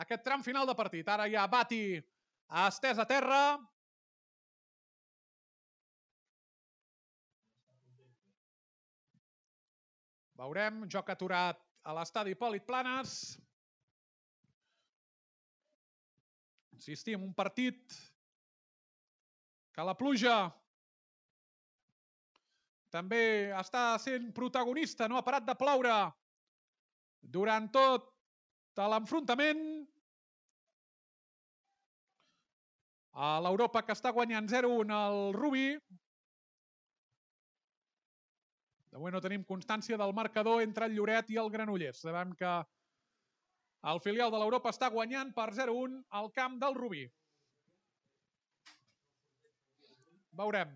aquest tram final de partit. Ara ja Bati ha estès a terra. Veurem, joc aturat a l'estadi Hipòlit Planes. Insistim, un partit que la pluja també està sent protagonista, no ha parat de ploure durant tot l'enfrontament. A l'Europa que està guanyant zero a un el Rubí. De moment no tenim constància del marcador entre el Lloret i el Granollers. Sabem que el filial de l'Europa està guanyant per zero a un al camp del Rubí. Veurem.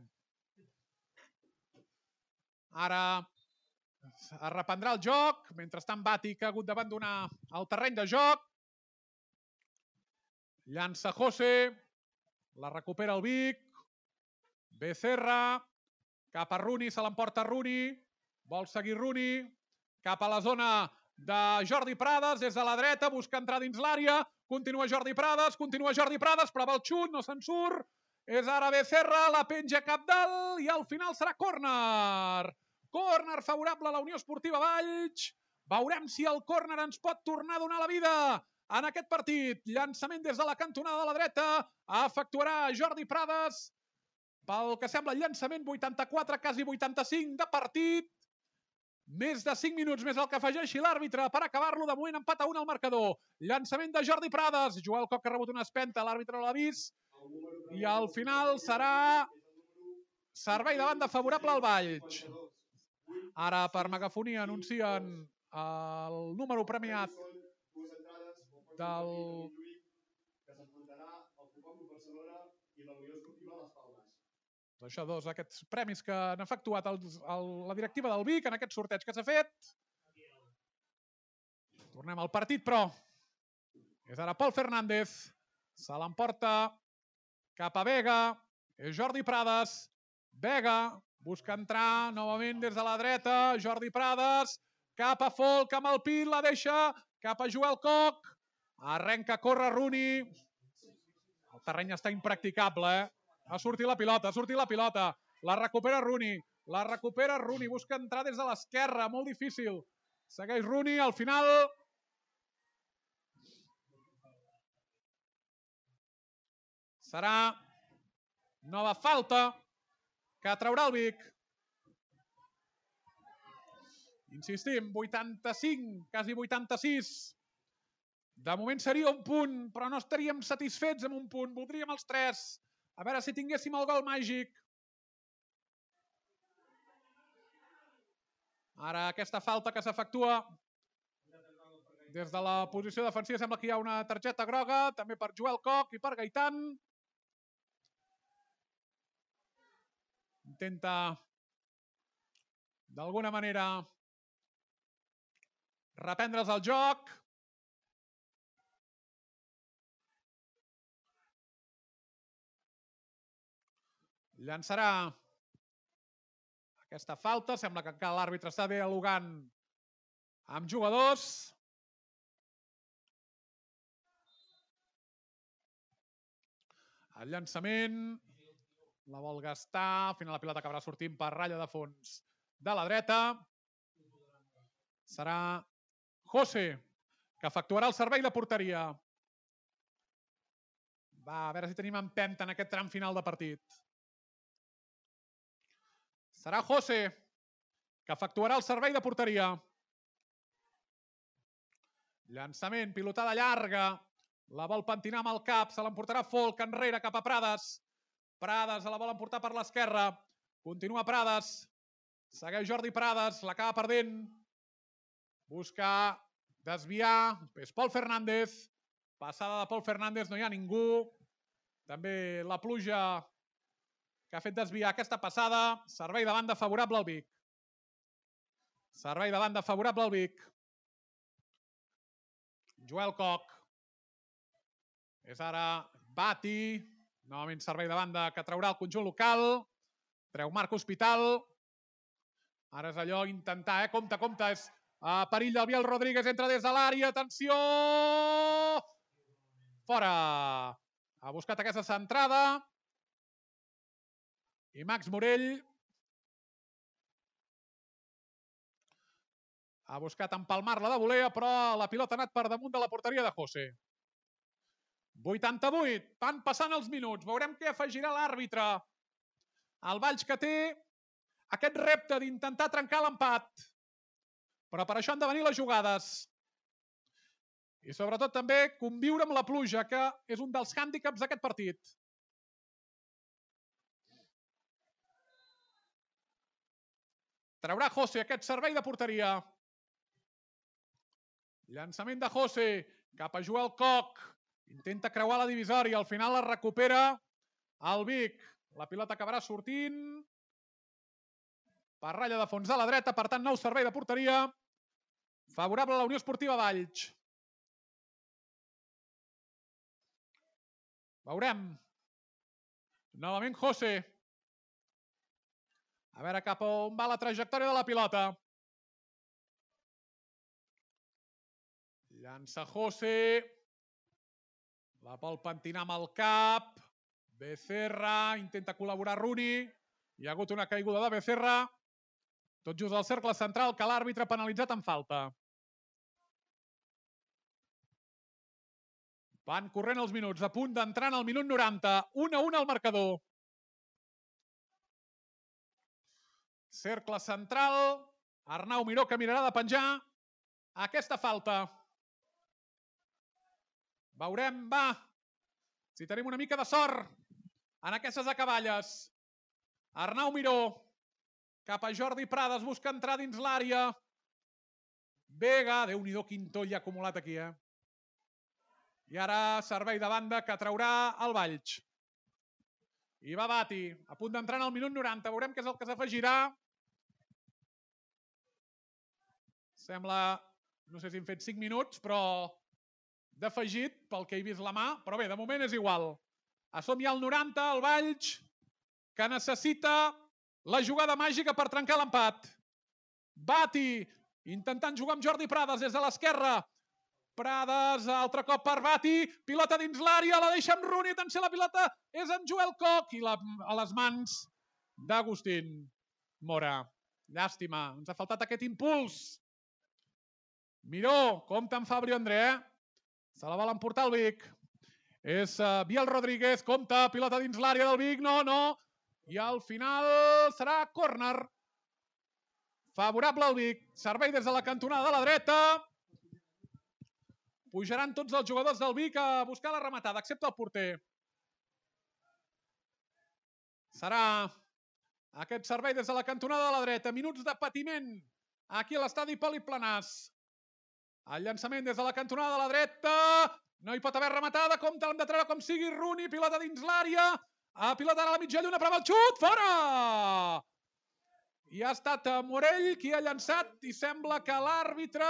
Ara es reprendrà el joc, mentrestant Bati que ha hagut d'abandonar el terreny de joc. Llança José, la recupera el Vic. Becerra, cap a Runi, se l'emporta Runi. Vol seguir Runi, cap a la zona de Jordi Prades, des de la dreta, busca entrar dins l'àrea. Continua Jordi Prades, continua Jordi Prades, prova el xut, no se'n surt. És ara Becerra, la penja cap dalt i al final serà córner. Córner favorable a la Unió Esportiva Valls. Veurem si el córner ens pot tornar a donar la vida en aquest partit. Llançament des de la cantonada de la dreta. Efectuarà Jordi Prades. Pel que sembla el llançament, vuitanta-quatre, quasi vuitanta-cinc de partit. Més de cinc minuts més el que afegeixi l'àrbitre per acabar-lo. De moment empat a un al marcador. Llançament de Jordi Prades. Joel Coc ha rebut una espenta, l'àrbitre l'ha vist. I al final serà servei de banda favorable al Valls. Ara per megafonia anuncien el número premiat del... Això, dos, aquests premis que han efectuat el, el, la directiva del Vic en aquest sorteig que s'ha fet. Tornem al partit, però és ara Pol Fernández. Se l'emporta cap a Vega. És Jordi Prades. Vega busca entrar novament des de la dreta. Jordi Prades. Cap a Folk amb el pit. La deixa cap a Joel Coc. Arrenca, corre Runi. El terreny està impracticable, eh? Ha sortit la pilota, ha sortit la pilota. La recupera Runi. La recupera Runi. Busca entrar des de l'esquerra. Molt difícil. Segueix Runi. Al final... serà nova falta que traurà el Vic. Insistim, vuitanta-cinc, quasi vuitanta-sis. De moment seria un punt, però no estaríem satisfets amb un punt. Voldríem els tres. A veure si tinguéssim el gol màgic. Ara aquesta falta que s'efectua des de la posició defensiva. Sembla que hi ha una targeta groga, també per Joel Coc i per Gaitan. Intenta d'alguna manera reprendre's el joc. Llançarà aquesta falta. Sembla que encara l'àrbitre està dialogant amb jugadors. El llançament la vol gastar. Al final la pilota acabarà sortint per ratlla de fons de la dreta. Serà José, que efectuarà el servei de porteria. Va, a veure si tenim empenta en aquest tram final de partit. Serà José, que efectuarà el servei de porteria. Llançament, pilotada llarga. La vol pentinar amb el cap. Se l'emportarà Folk enrere cap a Prades. Prades se la vol emportar per l'esquerra. Continua Prades. Segueix Jordi Prades. L'acaba perdent. busca desviar, és Pol Fernández, passada de Pol Fernández, no hi ha ningú, també la pluja que ha fet desviar aquesta passada, servei de banda favorable al Vic. Servei de banda favorable al Vic. Joel Koch. És ara Bati. Novament servei de banda que traurà el conjunt local. Treu Marc Hospital. Ara és allò, intentar, eh? Compte, compte, és a perill del Biel Rodríguez, entra des de l'àrea, atenció! Fora! Ha buscat aquesta centrada. I Max Morell ha buscat empalmar-la de volea, però la pilota ha anat per damunt de la porteria de José. vuitanta-vuit. Van passant els minuts. Veurem què afegirà l'àrbitre. El Valls que té aquest repte d'intentar trencar l'empat. Però per això han de venir les jugades. I sobretot també conviure amb la pluja, que és un dels hàndicaps d'aquest partit. Traurà José aquest servei de porteria. Llançament de José cap a Joel Koch. Intenta creuar la divisòria. Al final la recupera el Vic. La pilota acabarà sortint per ratlla de fons de la dreta. Per tant, nou servei de porteria favorable a la Unió Esportiva Valls. Veurem. Novament José. A veure cap on va la trajectòria de la pilota. Llança José. La vol pentinar amb el cap. Becerra. Intenta col·laborar Rooney. Hi ha hagut una caiguda de Becerra. Tot just al cercle central, que l'àrbitre ha penalitzat en falta. Van corrent els minuts. A punt d'entrar en el minut noranta. un a un al marcador. Cercle central. Arnau Miró, que mirarà de penjar aquesta falta. Veurem, va, si tenim una mica de sort en aquestes acaballes. Arnau Miró, cap a Jordi Prades, busca entrar dins l'àrea. Vega, Déu-n'hi-do, quin toll hi ha acumulat aquí, eh? I ara servei de banda que traurà el Valls. I va Bati, a punt d'entrar en el minut noranta. Veurem què és el que s'afegirà. Sembla, no sé si hem fet cinc minuts, però d'afegit, pel que he vist la mà. Però bé, de moment és igual. A som ja al noranta, el Valls, que necessita la jugada màgica per trencar l'empat. Bati, intentant jugar amb Jordi Prades des de l'esquerra. Prades, altre cop per Bati, pilota dins l'àrea, la deixa amb Rooney, atenció, la pilota és en Joel Koch i la, a les mans d'Agustín Mora. Llàstima, ens ha faltat aquest impuls. Miró, compta amb Fabio André, eh? Se la vol emportar el Vic. És uh, Biel Rodríguez, compta, pilota dins l'àrea del Vic, no, no. I al final serà córner. Favorable al Vic, servei des de la cantonada de la dreta. Pujaran tots els jugadors del Vic a buscar la rematada, excepte el porter. Serà aquest servei des de la cantonada de la dreta. Minuts de patiment aquí a l'estadi Poliplanàs. El llançament des de la cantonada de la dreta. No hi pot haver rematada. Compte, l'hem de treure com sigui. Rooney, pilota dins l'àrea. A pilota a la mitja lluna, prova el xut. Fora! I ha estat Morell qui ha llançat i sembla que l'àrbitre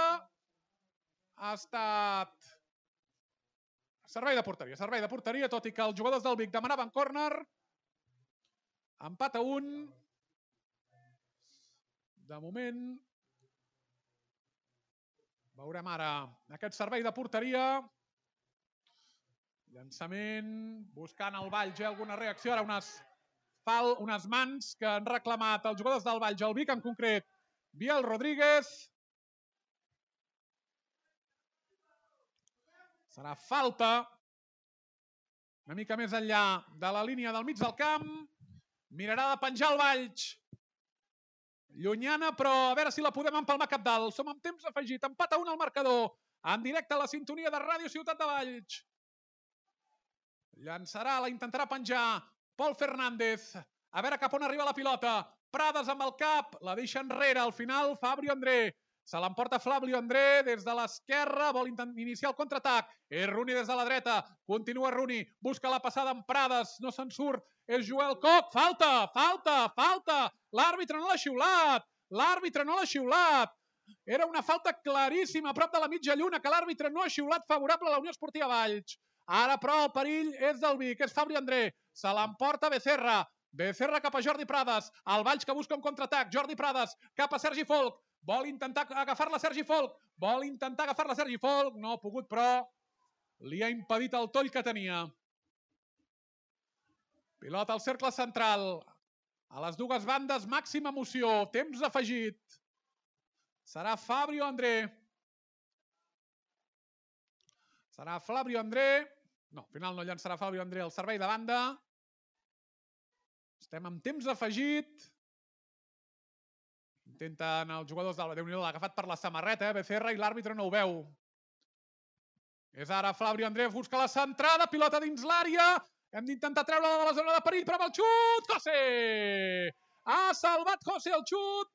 ha estat servei de porteria, servei de porteria, tot i que els jugadors del Vic demanaven córner. Empat a un. De moment veurem ara aquest servei de porteria. Llançament, buscant el Valls, alguna reacció, ara unes, fal, unes mans que han reclamat els jugadors del Valls, el Vic en concret, Biel Rodríguez. Serà falta, una mica més enllà de la línia del mig del camp. Mirarà de penjar el Valls. Llunyana, però a veure si la podem empalmar cap dalt. Som amb temps afegit, empat a un al marcador. En directe a la sintonia de Ràdio Ciutat de Valls. Llançarà, la intentarà penjar Pol Fernández. A veure cap on arriba la pilota. Prades amb el cap, la deixa enrere. Al final, Fabio André. Se l'emporta Flavio André des de l'esquerra, vol iniciar el contraatac. És Rooney des de la dreta, continua Rooney, busca la passada en Prades, no se'n surt, és Joel Koch, falta, falta, falta, l'àrbitre no l'ha xiulat, l'àrbitre no l'ha xiulat. Era una falta claríssima a prop de la mitja lluna que l'àrbitre no ha xiulat favorable a la Unió Esportiva Valls. Ara, però, el perill és del Vic, és Fabri André, se l'emporta Becerra, Becerra cap a Jordi Prades, el Valls que busca un contraatac, Jordi Prades cap a Sergi Folch, vol intentar agafar-la Sergi Folch, vol intentar agafar-la Sergi Folch, no ha pogut, però li ha impedit el toll que tenia. Pilota al cercle central, a les dues bandes, màxima emoció, temps afegit. Serà Fabio André. Serà Flavio André. No, al final no llançarà Fabio André al servei de banda. Estem amb temps afegit. Intenten els jugadors del Déu-n'hi-do, l'ha agafat per la samarreta, eh? Becerra, i l'àrbitre no ho veu. És ara Flavio André, busca la centrada, pilota dins l'àrea. Hem d'intentar treure-la de la zona de perill, però amb el xut, José! Ha salvat José el xut.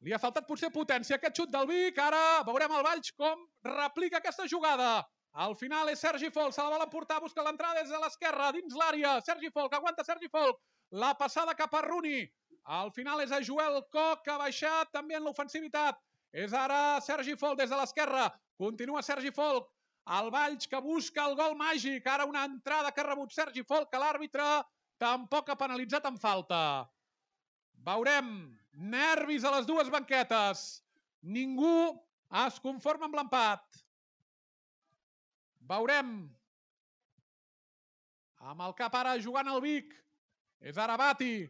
Li ha faltat potser potència aquest xut del Vic. Ara veurem el Valls com replica aquesta jugada. Al final és Sergi Folch, se la vol emportar, busca l'entrada des de l'esquerra, dins l'àrea. Sergi Folch, aguanta Sergi Folch. La passada cap a Rooney. Al final és a Joel Koch, que ha baixat també en l'ofensivitat. És ara Sergi Folch des de l'esquerra. Continua Sergi Folch. El Valls que busca el gol màgic. Ara una entrada que ha rebut Sergi Folch, que l'àrbitre tampoc ha penalitzat en falta. Veurem. Nervis a les dues banquetes. Ningú es conforma amb l'empat. Veurem. Amb el cap ara jugant el Vic. És ara Bati.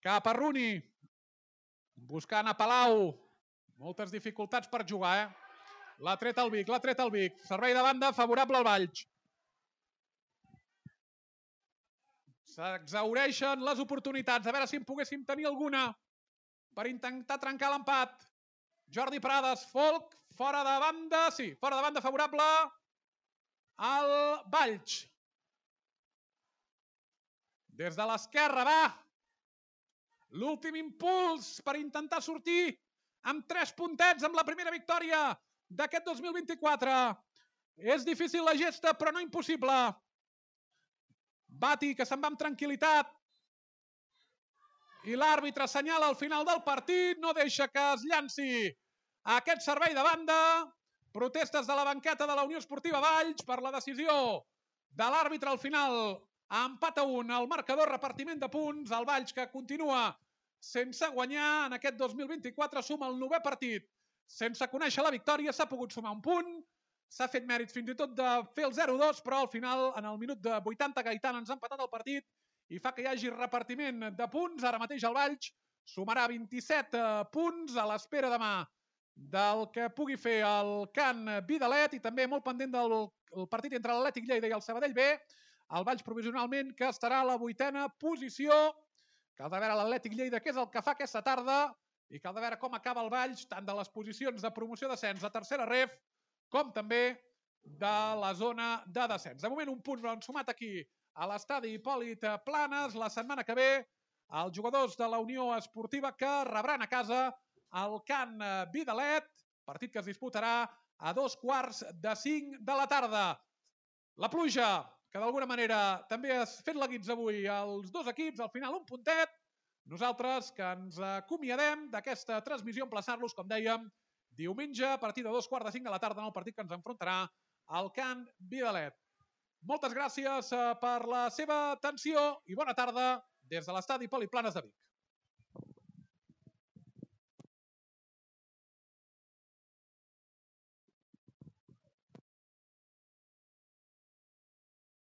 Cap a Rooney. Buscant a Palau. Moltes dificultats per jugar, eh? L'ha tret el Vic, l'ha tret el Vic. Servei de banda favorable al Valls. S'exhaureixen les oportunitats. A veure si en poguéssim tenir alguna per intentar trencar l'empat. Jordi Prades, Folch, fora de banda, sí, fora de banda favorable al Valls. Des de l'esquerra va l'últim impuls per intentar sortir amb tres puntets amb la primera victòria d'aquest dos mil vint-i-quatre. És difícil la gesta, però no impossible. Bati, que se'n va amb tranquil·litat. I l'àrbitre assenyala al final del partit, no deixa que es llanci aquest servei de banda. Protestes de la banqueta de la Unió Esportiva Valls per la decisió de l'àrbitre al final. Empat a un, el marcador, repartiment de punts. El Valls, que continua sense guanyar en aquest dos mil vint-i-quatre, suma el novè partit. Sense conèixer la victòria, s'ha pogut sumar un punt. S'ha fet mèrit fins i tot de fer el zero dos, però al final, en el minut de vuitanta, Gaitán ens ha empatat el partit i fa que hi hagi repartiment de punts. Ara mateix el Valls sumarà vint-i-set punts a l'espera demà del que pugui fer el Can Vidalet i també molt pendent del partit entre l'Atlètic Lleida i el Sabadell B. El Valls provisionalment, que estarà a la vuitena posició. Cal de veure l'Atlètic Lleida què és el que fa aquesta tarda i cal de veure com acaba el Valls, tant de les posicions de promoció d'ascens a tercera ref com també de la zona de descens. De moment un punt l'han sumat aquí a l'estadi Hipòlit Planes. La setmana que ve els jugadors de la Unió Esportiva que rebran a casa el Can Vidalet, partit que es disputarà a dos quarts de cinc de la tarda. La pluja, que d'alguna manera també has fet la guitza avui als dos equips, al final un puntet. Nosaltres que ens acomiadem d'aquesta transmissió, emplaçar-los, com dèiem, diumenge a partir de dos quarts de cinc de la tarda en el partit que ens enfrontarà al Can Vidalet. Moltes gràcies per la seva atenció i bona tarda des de l'estadi Hipòlit Planes de Vic.